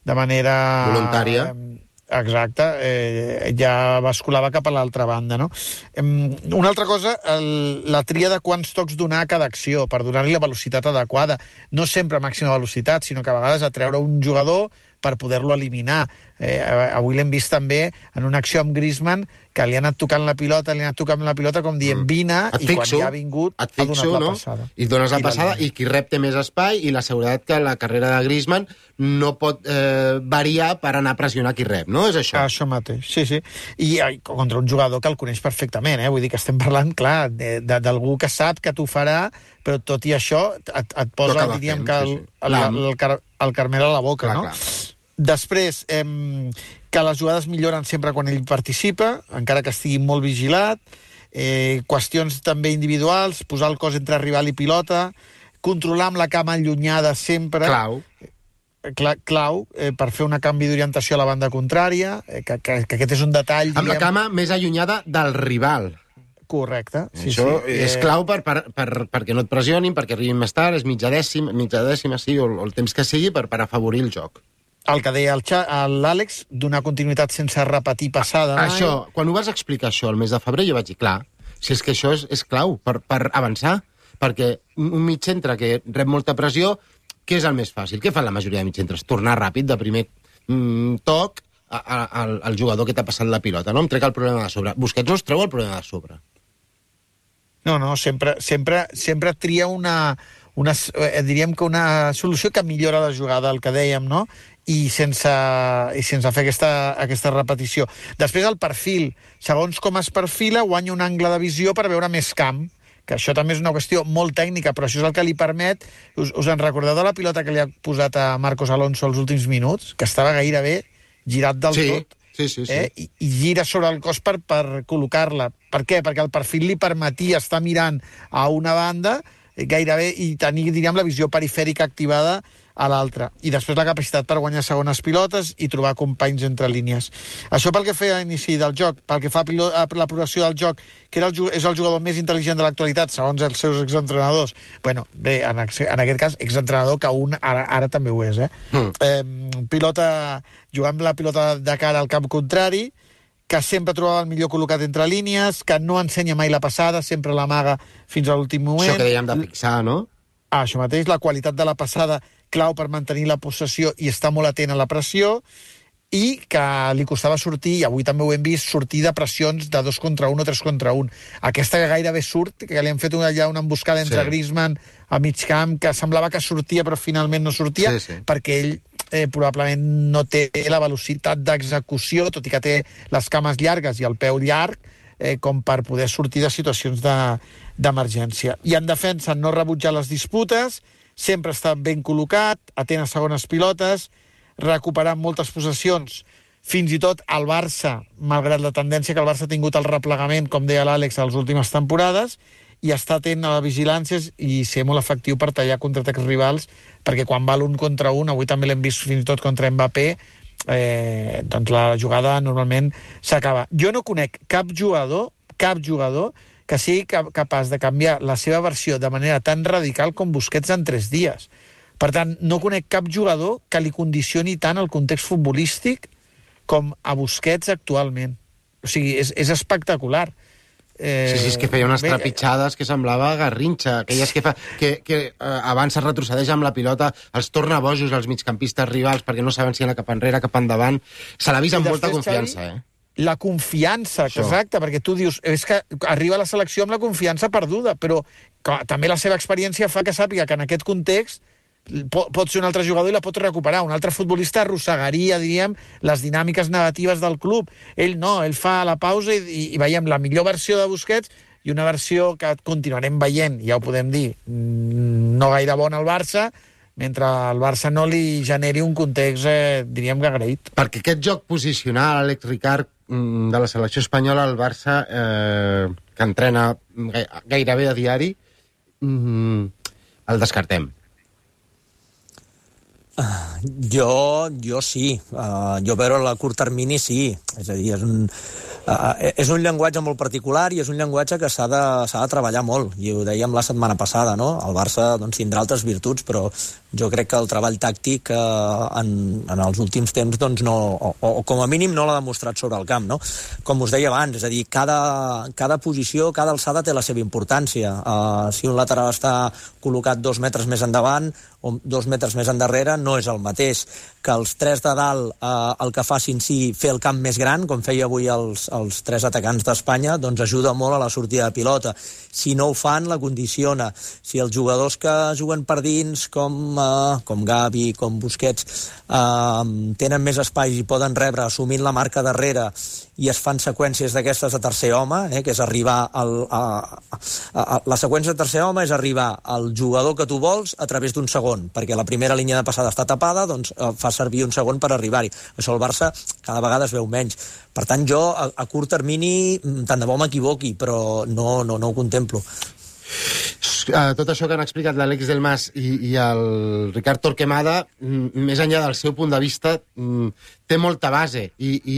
de manera voluntària. Eh, exacte, eh, ja basculava cap a l'altra banda, no? Eh, una altra cosa, el, la tria de quants tocs donar a cada acció, per donar-li la velocitat adequada. No sempre a màxima velocitat, sinó que a vegades atreure un jugador per poder-lo eliminar. Eh, avui l'hem vist també en una acció amb Griezmann, que li ha anat tocant la pilota, li ha anat tocant la pilota com dient vine, Et i fixo, quan ja ha vingut et ha fixo, donat la no? passada. I dones la I passada, la i qui rep té més espai, i la seguretat que la carrera de Griezmann no pot eh, variar per anar a pressionar qui rep, no? És això? Això mateix, sí, sí. I ai, contra un jugador que el coneix perfectament, eh? Vull dir que estem parlant, clar, d'algú que sap que t'ho farà, però tot i això et, et posa, diríem, que el, el, el, el, car el carmel a la boca, clar, no? Clar. Després, eh, que les jugades milloren sempre quan ell participa, encara que estigui molt vigilat, eh, qüestions també individuals, posar el cos entre rival i pilota, controlar amb la cama allunyada sempre... Clau. Cla clau, eh, per fer un canvi d'orientació a la banda contrària, eh, que, que, que aquest és un detall... Amb la cama més allunyada del rival. Correcte. Sí, Això sí. és eh... clau per, per, per, perquè no et pressionin, perquè arribin més tard, és mitja dècima, mitja dècima sí, o, o el temps que sigui, per, per afavorir el joc. El que deia l'Àlex, donar continuïtat sense repetir passada. Mai. Això, quan ho vas explicar això el mes de febrer, jo vaig dir, clar, si és que això és, és clau per, per avançar, perquè un mig centre que rep molta pressió, què és el més fàcil? Què fan la majoria de mig centres? Tornar ràpid de primer mm, toc a, a, al, al jugador que t'ha passat la pilota, no? Em trec el problema de sobre. Busquets no es treu el problema de sobre. No, no, sempre, sempre, sempre tria una, una, eh, diríem que una solució que millora la jugada, el que dèiem, no? I sense, i sense fer aquesta, aquesta repetició. Després el perfil. Segons com es perfila, guanya un angle de visió per veure més camp, que això també és una qüestió molt tècnica, però això és el que li permet... Us, us en recordeu de la pilota que li ha posat a Marcos Alonso els últims minuts? Que estava gairebé girat del sí. tot. Sí, sí, sí. Eh? I, I gira sobre el cos per, per col·locar-la. Per què? Perquè el perfil li permetia estar mirant a una banda eh, gairebé i tenir, diríem, la visió perifèrica activada a l'altra. I després la capacitat per guanyar segones pilotes i trobar companys entre línies. Això pel que feia a l'inici del joc, pel que fa a la progressió del joc, que era el, és el jugador més intel·ligent de l'actualitat, segons els seus exentrenadors. Bueno, bé, en, en aquest cas, exentrenador que un ara, ara també ho és, eh? Mm. eh pilota, jugant amb la pilota de cara al camp contrari, que sempre trobava el millor col·locat entre línies, que no ensenya mai la passada, sempre l'amaga fins a l'últim moment. Això que dèiem de fixar, no? Ah, això mateix, la qualitat de la passada clau per mantenir la possessió i estar molt atent a la pressió, i que li costava sortir, i avui també ho hem vist, sortir de pressions de dos contra un o tres contra un. Aquesta que gairebé surt, que li han fet allà una emboscada entre sí. Griezmann a mig camp, que semblava que sortia però finalment no sortia, sí, sí. perquè ell eh, probablement no té la velocitat d'execució, tot i que té les cames llargues i el peu llarg, eh, com per poder sortir de situacions d'emergència. De, I en defensa no rebutjar les disputes, sempre està ben col·locat, atent a segones pilotes, recuperant moltes possessions, fins i tot el Barça, malgrat la tendència que el Barça ha tingut al replegament, com deia l'Àlex, a les últimes temporades, i està atent a les vigilàncies i ser molt efectiu per tallar contraatacs rivals, perquè quan val un contra un, avui també l'hem vist fins i tot contra Mbappé, eh, doncs la jugada normalment s'acaba. Jo no conec cap jugador, cap jugador, que sigui capaç de canviar la seva versió de manera tan radical com Busquets en tres dies. Per tant, no conec cap jugador que li condicioni tant el context futbolístic com a Busquets actualment. O sigui, és, és espectacular. Eh, sí, sí, és que feia unes trepitjades que semblava Garrinxa, aquelles que, fa, que, que eh, abans es retrocedeix amb la pilota, els torna bojos als migcampistes rivals perquè no saben si anar cap enrere, cap endavant. Se l'ha vist amb molta confiança, eh? La confiança, Això. exacte, perquè tu dius, és que arriba a la selecció amb la confiança perduda, però clar, també la seva experiència fa que sàpiga que en aquest context pot, pot ser un altre jugador i la pot recuperar. Un altre futbolista arrossegaria, diríem, les dinàmiques negatives del club. Ell no, ell fa la pausa i, i, i veiem la millor versió de Busquets i una versió que continuarem veient, ja ho podem dir, no gaire bona al Barça, mentre el Barça no li generi un context, eh, diríem que agraït. Perquè aquest joc posicional, Àlex Ricard, de la selecció espanyola, el Barça, eh, que entrena gairebé a diari, mm, el descartem. Uh, jo, jo sí. Uh, jo veure a curt termini sí. És a dir, és un, uh, és un llenguatge molt particular i és un llenguatge que s'ha de, s'ha de treballar molt. I ho dèiem la setmana passada, no? El Barça doncs, tindrà altres virtuts, però jo crec que el treball tàctic eh, en, en els últims temps doncs, no, o, o com a mínim no l'ha demostrat sobre el camp, no? Com us deia abans, és a dir, cada, cada posició, cada alçada té la seva importància. Uh, si un lateral està col·locat dos metres més endavant, o dos metres més endarrere, no és el mateix que els tres de dalt eh, el que facin sí fer el camp més gran, com feia avui els, els tres atacants d'Espanya, doncs ajuda molt a la sortida de pilota. Si no ho fan, la condiciona. Si els jugadors que juguen per dins, com, eh, com Gavi, com Busquets, eh, tenen més espai i poden rebre assumint la marca darrere i es fan seqüències d'aquestes de tercer home, eh, que és arribar al, a, a, a, la seqüència de tercer home és arribar al jugador que tu vols a través d'un segon, perquè la primera línia de passada està tapada, doncs eh, fa servir un segon per arribar-hi. Això el Barça cada vegada es veu menys. Per tant, jo a, a curt termini tant de bo m'equivoqui, però no, no, no ho contemplo. Uh, tot això que han explicat l'Àlex Del Mas i, i el Ricard Torquemada, més enllà del seu punt de vista, té molta base i, i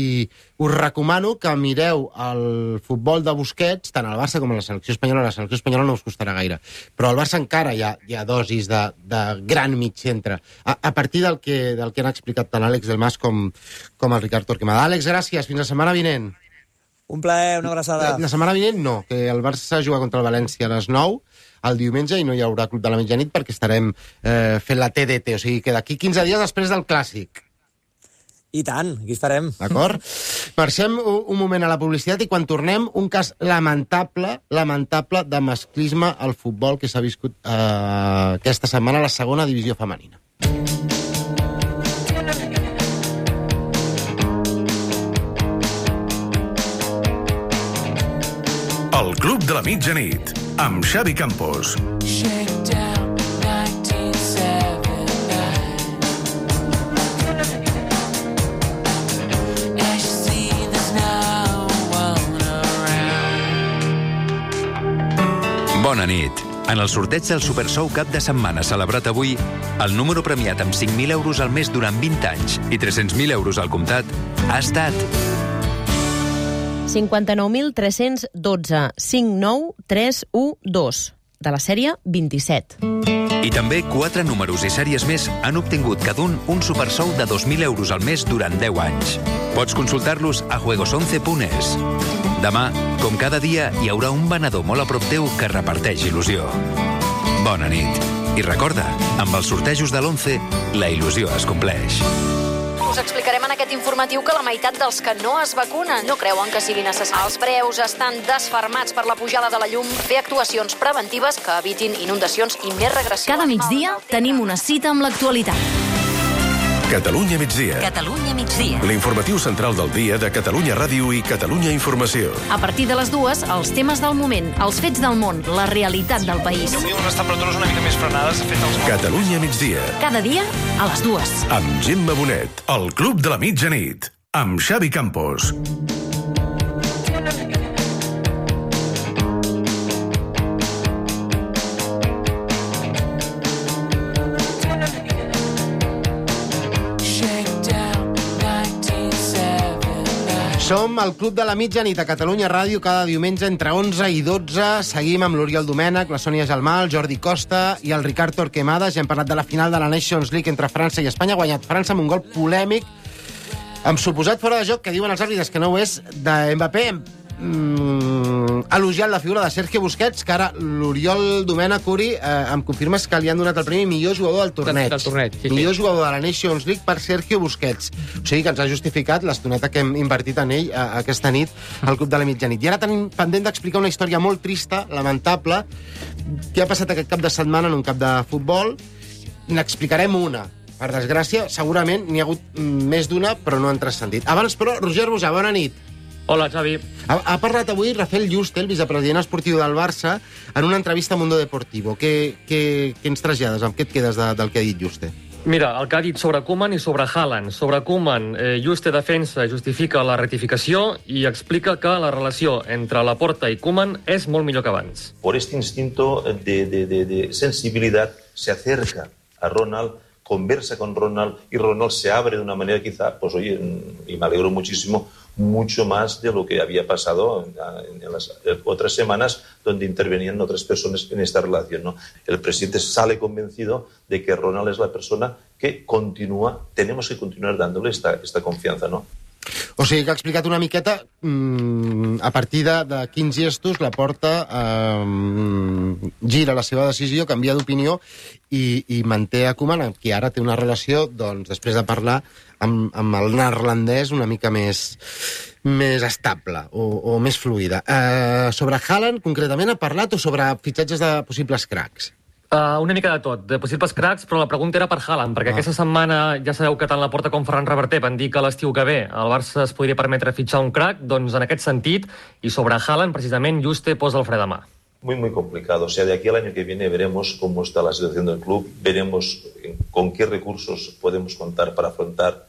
us recomano que mireu el futbol de Busquets, tant al Barça com a la selecció espanyola. La selecció espanyola no us costarà gaire, però al Barça encara hi ha, hi ha dosis de, de gran mig centre, a, a partir del que, del que han explicat tant l'Àlex Del Mas com, com el Ricard Torquemada. Àlex, gràcies, fins la setmana vinent. Un plaer, una abraçada. La setmana vinent no, que el Barça juga contra el València a les nou el diumenge i no hi haurà Club de la Mitjanit perquè estarem eh, fent la T D T, o sigui que d'aquí quinze dies després del Clàssic. I tant, aquí estarem. D'acord? Marxem un, un moment a la publicitat i quan tornem, un cas lamentable, lamentable de masclisme al futbol que s'ha viscut eh, aquesta setmana a la segona divisió femenina. El Club de la Mitjanit, amb Xavi Campos. Bona nit. En el sorteig del Super Sou cap de setmana celebrat avui, el número premiat amb cinc mil euros al mes durant vint anys i tres-cents mil euros al comptat ha estat cinquanta-nou mil tres-cents dotze, cinc nou tres u dos, de la sèrie vint-i-set. I també quatre números i sèries més han obtingut cada un un supersou de dos mil euros al mes durant deu anys. Pots consultar-los a juegos once punt es. Demà, com cada dia, hi haurà un venedor molt a prop teu que reparteix il·lusió. Bona nit. I recorda, amb els sortejos de l'once, la il·lusió es compleix. Us explicarem en aquest informatiu que la meitat dels que no es vacunen no creuen que sigui necessari. Els preus estan desfermats per la pujada de la llum. Fer actuacions preventives que evitin inundacions i més regressions. Cada migdia tenim una cita amb l'actualitat. Catalunya migdia. Catalunya migdia. L'informatiu central del dia de Catalunya Ràdio i Catalunya Informació. A partir de les dues, els temes del moment, els fets del món, la realitat del país. Avui unes temperatures una mica més frenades, de fet els... Catalunya migdia. Cada dia, a les dues. Amb Gemma Bonet, el Club de la Mitjanit. Amb Xavi Campos. Som al Club de la Mitjanit a Catalunya Ràdio cada diumenge entre onze i dotze. Seguim amb l'Oriol Domènech, la Sònia Gelmà, el Jordi Costa i el Ricard Torquemada. Ja hem parlat de la final de la Nations League entre França i Espanya. Ha guanyat França amb un gol polèmic, amb suposat fora de joc, que diuen els àrbitres que no ho és, de Mbappé. Mm, elogiant la figura de Sergio Busquets, que ara l'Oriol Domènech, Uri, eh, em confirmes que li han donat el premi millor jugador del torneig. Del torneig, sí, millor sí. jugador de la Nations League per Sergio Busquets. O sigui que ens ha justificat l'estoneta que hem invertit en ell a, aquesta nit al Club de la Mitjanit. I ara tenim pendent d'explicar una història molt trista, lamentable, que ha passat aquest cap de setmana en un camp de futbol. N'explicarem una. Per desgràcia, segurament n'hi ha hagut més d'una, però no han transcendit. Abans, però, Roger Bojà, bona nit. Hola, Xavi. Ha, ha parlat avui Rafael Juste, el vicepresident esportiu del Barça, en una entrevista a Mundo Deportivo. Què, què, què ens trasllades? Amb què et quedes de, del que ha dit Juste? Mira, el que ha dit sobre Koeman i sobre Haaland. Sobre Koeman, eh, Juste defensa, justifica la rectificació i explica que la relació entre Laporta i Koeman és molt millor que abans. Por este instinto de, de, de, de sensibilidad se acerca a Ronald, conversa con Ronald y Ronald se abre de una manera quizá, pues oye, y me alegro muchísimo, mucho más de lo que había pasado en, en las otras semanas donde intervenían otras personas en esta relación, ¿no? El presidente sale convencido de que Ronald es la persona que continúa, tenemos que continuar dándole esta, esta confianza, ¿no? O sigui que ha explicat una miqueta mmm, a partir de, de quins gestos la Porta eh, gira la seva decisió, canvia d'opinió i, i manté a Koeman, amb qui ara té una relació, doncs, després de parlar amb, amb el neerlandès una mica més, més estable o, o més fluida. Eh, sobre Haaland, concretament, ha parlat o sobre fitxatges de possibles cracs? Uh, una mica de tot, de possibles cracs, però la pregunta era per Haaland, perquè ah. aquesta setmana ja sabeu que tant la Porta com Ferran Reverter van dir que l'estiu que ve el Barça es podria permetre fitxar un crac, doncs en aquest sentit, i sobre Haaland, precisament, Juste posa el fre de mà. Muy, muy complicado. O sea, de aquí al año que viene veremos cómo está la situación del club, veremos con qué recursos podemos contar para afrontar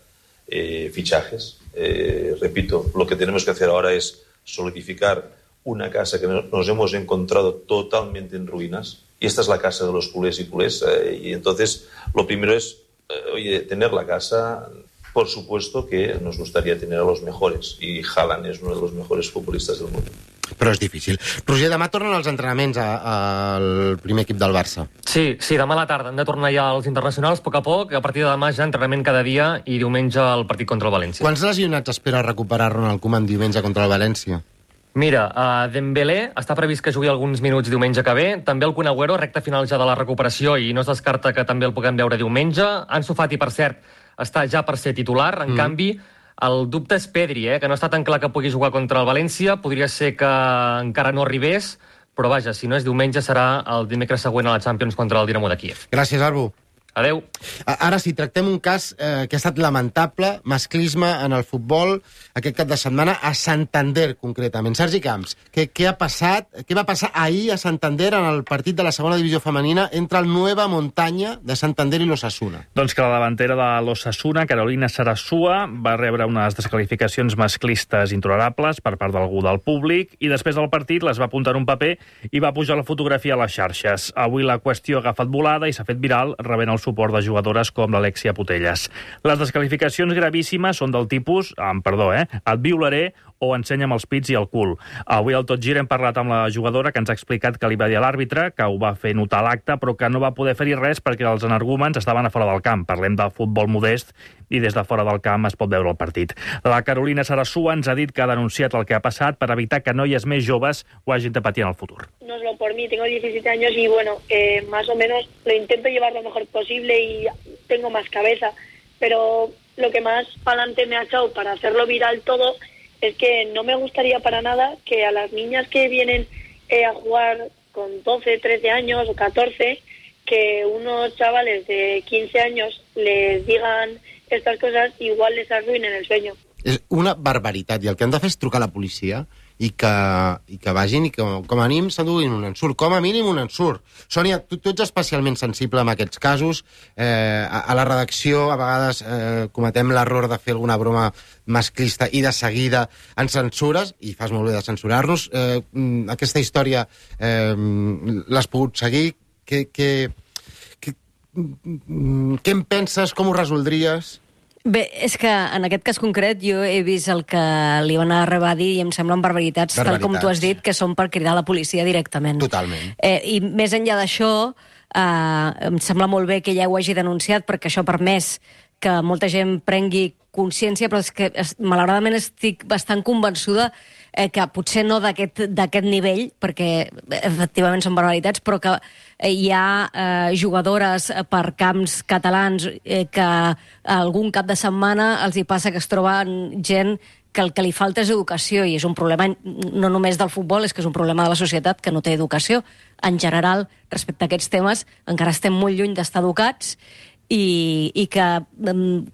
eh, fichajes. Eh, repito, lo que tenemos que hacer ahora es solidificar una casa que nos hemos encontrado totalmente en ruinas. Y esta es la casa de los culés y culés. Eh, y entonces, lo primero es, eh, oye, tener la casa. Por supuesto que nos gustaría tener a los mejores. Y Haaland es uno de los mejores futbolistas del mundo. Però és difícil. Roger, demà tornen els entrenaments al primer equip del Barça. Sí, sí, demà a la tarda. Hem de tornar ja als internacionals, a poc a poc. A partir de demà ja entrenament cada dia i diumenge el partit contra el València. Quants lesionats espera recuperar Ronald Koeman diumenge contra el València? Mira, uh, Dembélé està previst que jugui alguns minuts diumenge que ve, també el Kun Agüero, recta final ja de la recuperació i no es descarta que també el puguem veure diumenge. Ansu Fati, per cert, està ja per ser titular, en mm. canvi, el dubte és Pedri, eh, que no està tan clar que pugui jugar contra el València, podria ser que encara no arribés, però vaja, si no és diumenge serà el dimecres següent a la Champions contra el Dinamo de Kíev. Gràcies, Arbu. Adeu. Ara sí, tractem un cas eh, que ha estat lamentable, masclisme en el futbol, aquest cap de setmana a Santander, concretament. Sergi Camps, què, què ha passat? Què va passar ahir a Santander en el partit de la segona divisió femenina entre el Nueva Montaña de Santander i l'Osasuna? Doncs que la davantera de l'Osasuna, Carolina Sarasua, va rebre unes descalificacions masclistes intolerables per part d'algú del públic i després del partit les va apuntar un paper i va pujar la fotografia a les xarxes. Avui la qüestió ha agafat volada i s'ha fet viral, rebent el suport de jugadores com l'Alexia Putelles. Les descalificacions gravíssimes són del tipus, amb perdó, eh, et violaré o ensenya'm els pits i el cul. Avui al Tot Gira hem parlat amb la jugadora que ens ha explicat que li va dir a l'àrbitre, que ho va fer notar l'acte, però que no va poder fer-hi res perquè els energúmens estaven a fora del camp. Parlem de futbol modest i des de fora del camp es pot veure el partit. La Carolina Sarasua ens ha dit que ha denunciat el que ha passat per evitar que noies més joves ho hagin de patir en el futur. No es lo por mí, tengo diecisiete años y bueno, eh, más o menos lo intento llevar lo mejor posible y tengo más cabeza, pero lo que más pa'lante me ha echado para hacerlo viral todo es que no me gustaría para nada que a las niñas que vienen eh, a jugar con doce, trece años o catorce, que unos chavales de quince años les digan estas cosas, igual les arruinen el sueño. És una barbaritat, i el que han de fer és trucar a la policia i que, i que vagin i que com a mínim s'enduguin un ensurt, com a mínim un ensurt. Sònia, tu, tu ets especialment sensible en aquests casos. Eh, a, a la redacció a vegades eh, cometem l'error de fer alguna broma masclista i de seguida ens censures, i fas molt bé de censurar-nos. Eh, aquesta història eh, l'has pogut seguir? Què, què, què, què en penses? Com ho resoldries? Bé, és que en aquest cas concret jo he vist el que li van arribar a dir i em semblen barbaritats, barbaritats. tal com tu has dit, que són per cridar a la policia directament. Totalment. Eh, I més enllà d'això, eh, em sembla molt bé que ja ho hagi denunciat, perquè això ha permès que molta gent prengui consciència, però és que malauradament estic bastant convençuda eh, que potser no d'aquest d'aquest nivell, perquè efectivament són barbaritats, però que hi ha eh, jugadores per camps catalans eh, que algun cap de setmana els hi passa que es troben gent que el que li falta és educació, i és un problema no només del futbol, és que és un problema de la societat que no té educació. En general, respecte a aquests temes, encara estem molt lluny d'estar educats, i, i que,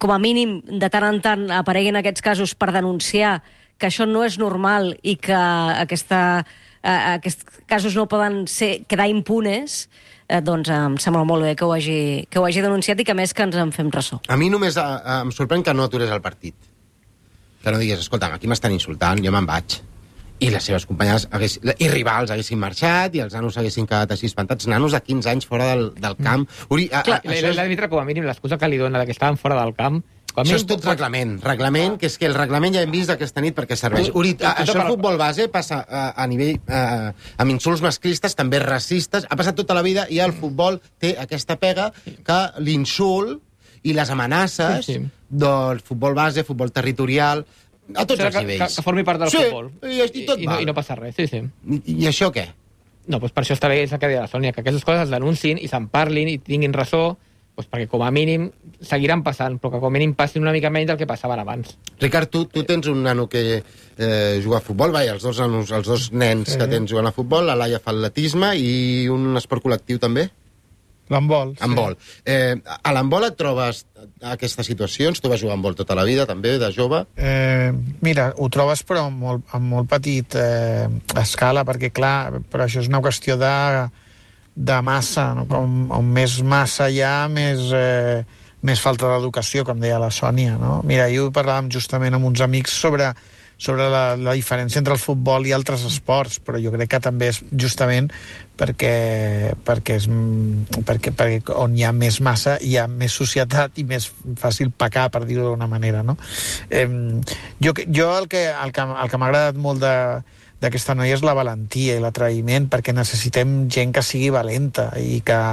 com a mínim, de tant en tant apareguin aquests casos per denunciar que això no és normal i que aquesta, eh, aquests casos no poden ser, quedar impunes, eh, doncs em sembla molt bé que ho, hagi, que ho hagi denunciat i que més que ens en fem ressò. A mi només eh, em sorprèn que no aturés el partit. Que no digués, escolta, aquí m'estan insultant, jo me'n vaig. I les seves companyes hagués, i rivals haguessin marxat i els nanos haguessin quedat així espantats. Nanos de quinze anys fora del, del camp. Uri, a, Clar, a, això és... l'àrbitre, com a mínim, l'excusa que li dona que estaven fora del camp... Això és tot reglament. Reglament, que és que el reglament ja hem vist aquesta nit perquè serveix. Uri, a, això el futbol base passa a, a nivell... A, amb insults masclistes, també racistes. Ha passat tota la vida i el futbol té aquesta pega que l'insult i les amenaces sí, sí. del futbol base, futbol territorial... A tots els que, nivells. Que, que formi part del sí, futbol. I, i, tot I, i, no, val. I no passa res, sí, sí. I, I això què? No, doncs per això està bé, és el que deia la Sònia, que aquestes coses es denunciïn i se'n parlin i tinguin ressò, doncs perquè com a mínim seguiran passant, però que com a mínim passin una mica menys del que passaven abans. Ricard, tu, tu tens un nano que eh, juga a futbol, vai, els dos, nanos, els dos nens sí. que tens jugant a futbol, la Laia fa atletisme i un esport col·lectiu també? L'handbol. Sí. Handbol. Eh, a l'handbol et trobes aquestes situacions? Tu vas jugar a handbol tota la vida, també, de jove? Eh, mira, ho trobes però amb molt, amb molt petit eh, escala, perquè clar, però això és una qüestió de, de massa, no? Com, on més massa hi ha, més, eh, més falta d'educació, com deia la Sònia, no? Mira, ahir ho parlàvem justament amb uns amics sobre sobre la, la diferència entre el futbol i altres esports, però jo crec que també és justament perquè, perquè, és, perquè, perquè on hi ha més massa hi ha més societat i més fàcil pecar, per dir-ho d'una manera, no? Eh, jo, jo el que, el que, el que m'ha agradat molt de, d'aquesta noia és la valentia i l'atreviment, perquè necessitem gent que sigui valenta i que,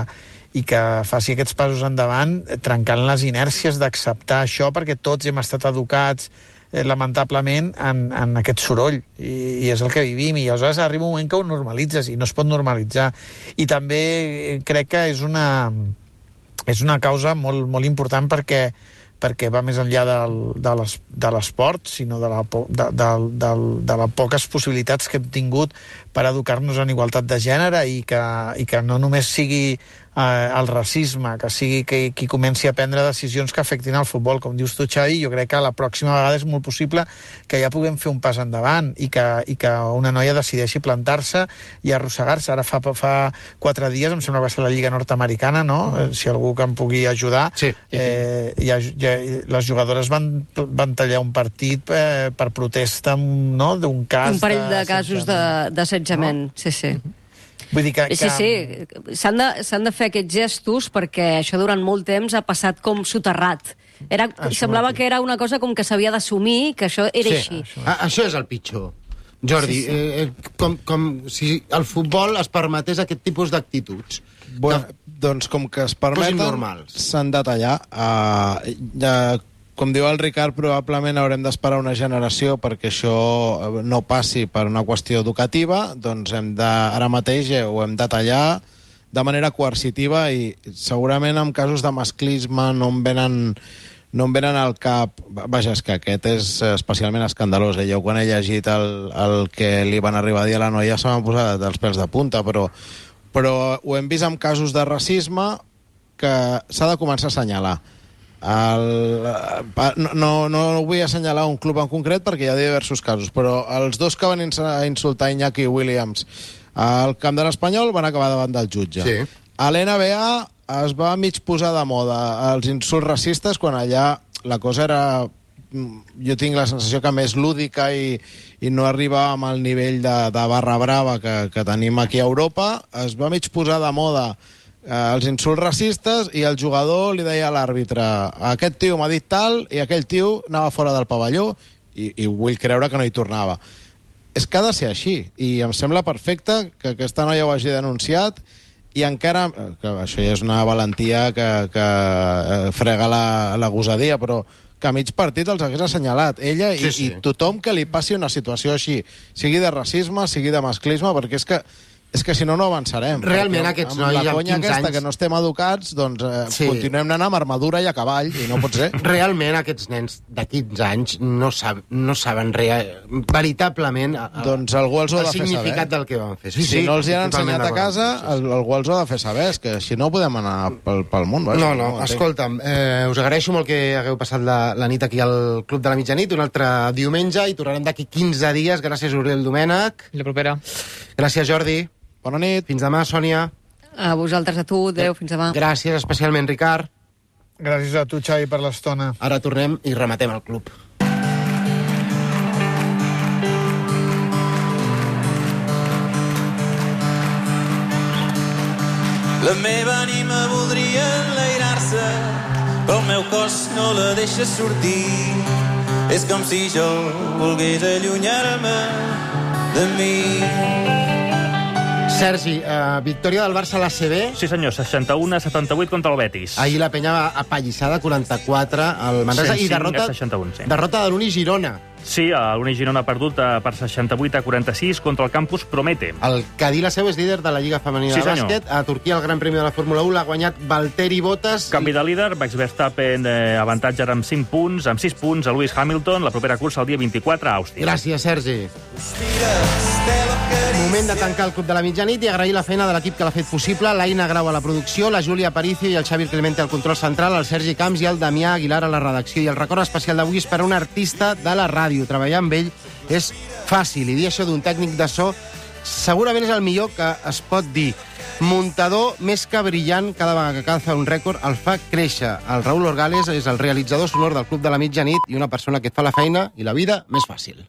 i que faci aquests passos endavant trencant les inèrcies d'acceptar això, perquè tots hem estat educats lamentablement en, en aquest soroll i, i és el que vivim, i aleshores arriba un moment que ho normalitzes i no es pot normalitzar. I també crec que és una és una causa molt, molt important perquè perquè va més enllà del, de l'esport, sinó de, la, de, de, de, de les poques possibilitats que hem tingut per educar-nos en igualtat de gènere i que, i que no només sigui eh, el racisme, que sigui que, qui comenci a prendre decisions que afectin el futbol. Com dius tu, Xavi, jo crec que la pròxima vegada és molt possible que ja puguem fer un pas endavant i que, i que una noia decideixi plantar-se i arrossegar-se. Ara fa, fa quatre dies, em sembla que va ser la Lliga Nord-Americana, no? Mm. Si algú que em pugui ajudar, sí, sí, sí. Eh, ja, ja, les jugadores van, van tallar un partit eh, per protesta, no?, d'un cas... Un parell de, de casos d'assetjament, no? Sí, sí. Vull dir que... Sí, sí, s'han de, s'han de fer aquests gestos perquè això durant molt temps ha passat com soterrat. Era, semblava que era una cosa com que s'havia d'assumir, que això era sí, així. Això. A, això és el pitjor. Jordi, sí, sí. Eh, com, com si el futbol es permetés aquest tipus d'actituds. Bueno, doncs com que es permeten, s'han de tallar. Uh, ja, com diu el Ricard, probablement haurem d'esperar una generació perquè això no passi per una qüestió educativa, doncs hem de, ara mateix ho hem de tallar de manera coercitiva i segurament en casos de masclisme no em venen, no em venen al cap... Vaja, és que aquest és especialment escandalós. Eh? Jo quan he llegit el, el que li van arribar a dir a la noia se m'han posat els pèls de punta, però, però ho hem vist en casos de racisme que s'ha de començar a assenyalar. El, no, no, no vull assenyalar un club en concret perquè hi ha diversos casos, però els dos que van insultar Iñaki Williams al camp de l'Espanyol van acabar davant del jutge. Sí. A l'N B A es va mig posar de moda els insults racistes quan allà la cosa era, jo tinc la sensació que més lúdica i, i no arriba amb el nivell de, de barra brava que, que tenim aquí a Europa. Es va mig posar de moda els insults racistes i el jugador li deia a l'àrbitre aquest tio m'ha dit tal i aquell tio anava fora del pavelló i, i vull creure que no hi tornava. És que ha de ser així i em sembla perfecte que aquesta noia ho hagi denunciat i encara, que això ja és una valentia que, que frega la, la gosadia, però que a mig partit els hagués assenyalat ella i, sí, sí. i tothom que li passi una situació així, sigui de racisme, sigui de masclisme, perquè és que és que si no, no avançarem. Realment aquests nois amb la conya amb aquesta anys... que no estem educats, doncs eh, sí. continuem anant amb armadura i a cavall, i no pot ser. Realment aquests nens de quinze anys no, sab no saben real, veritablement el, doncs algú els ho ha de fer saber. El significat del que van fer. Sí, si sí, no els hi han ensenyat a casa, el, algú els ho ha de fer saber, és que si no podem anar pel, pel món. Vaja, no, no, no escolta'm, eh, us agraeixo molt que hagueu passat la, la nit aquí al Club de la Mitjanit, un altre diumenge, i tornarem d'aquí quinze dies. Gràcies, Oriol Domènech. I la propera. Gràcies, Jordi. Bona nit. Fins demà, Sònia. A vosaltres, a tu. Adéu, fins demà. Gràcies especialment, Ricard. Gràcies a tu, Xavi, per l'estona. Ara tornem i rematem el club. La meva ànima voldria enlairar-se, però el meu cos no la deixa sortir. És com si jo volgués allunyar-me de mi. Sergi, eh, victòria del Barça a l'A C B. Sí, senyor, seixanta-u a setanta-vuit contra el Betis. Ahir la penya apallissada, quaranta-quatre al Manresa, i derrota, seixanta-u, sí. derrota de l'Uni Girona. Sí, l'Uni Girona ha perdut per seixanta-vuit a quaranta-sis contra el Campus Promete. El Cadí la seu és líder de la Lliga Femenina sí, de Bàsquet. A Turquia el Gran Premi de la Fórmula u l'ha guanyat Valtteri Bottas. Canvi de líder, Max Verstappen eh, avantatge ara amb cinc punts, amb sis punts a Lewis Hamilton, la propera cursa el dia vint-i-quatre a Àustria. Gràcies, Sergi. Moment de tancar el Club de la Mitjanit i agrair la feina de l'equip que l'ha fet possible, l'Aina Grau a la producció, la Júlia Aparicio i el Xavi Clemente al control central, el Sergi Camps i el Damià Aguilar a la redacció. I el record especial d'avui és per a un artista de la ràdio. Treballar amb ell és fàcil, i dir això d'un tècnic de so segurament és el millor que es pot dir. Muntador més que brillant, cada vegada que cal fer un rècord el fa créixer. El Raül Orgales és el realitzador sonor del Club de la Mitjanit i una persona que et fa la feina i la vida més fàcil.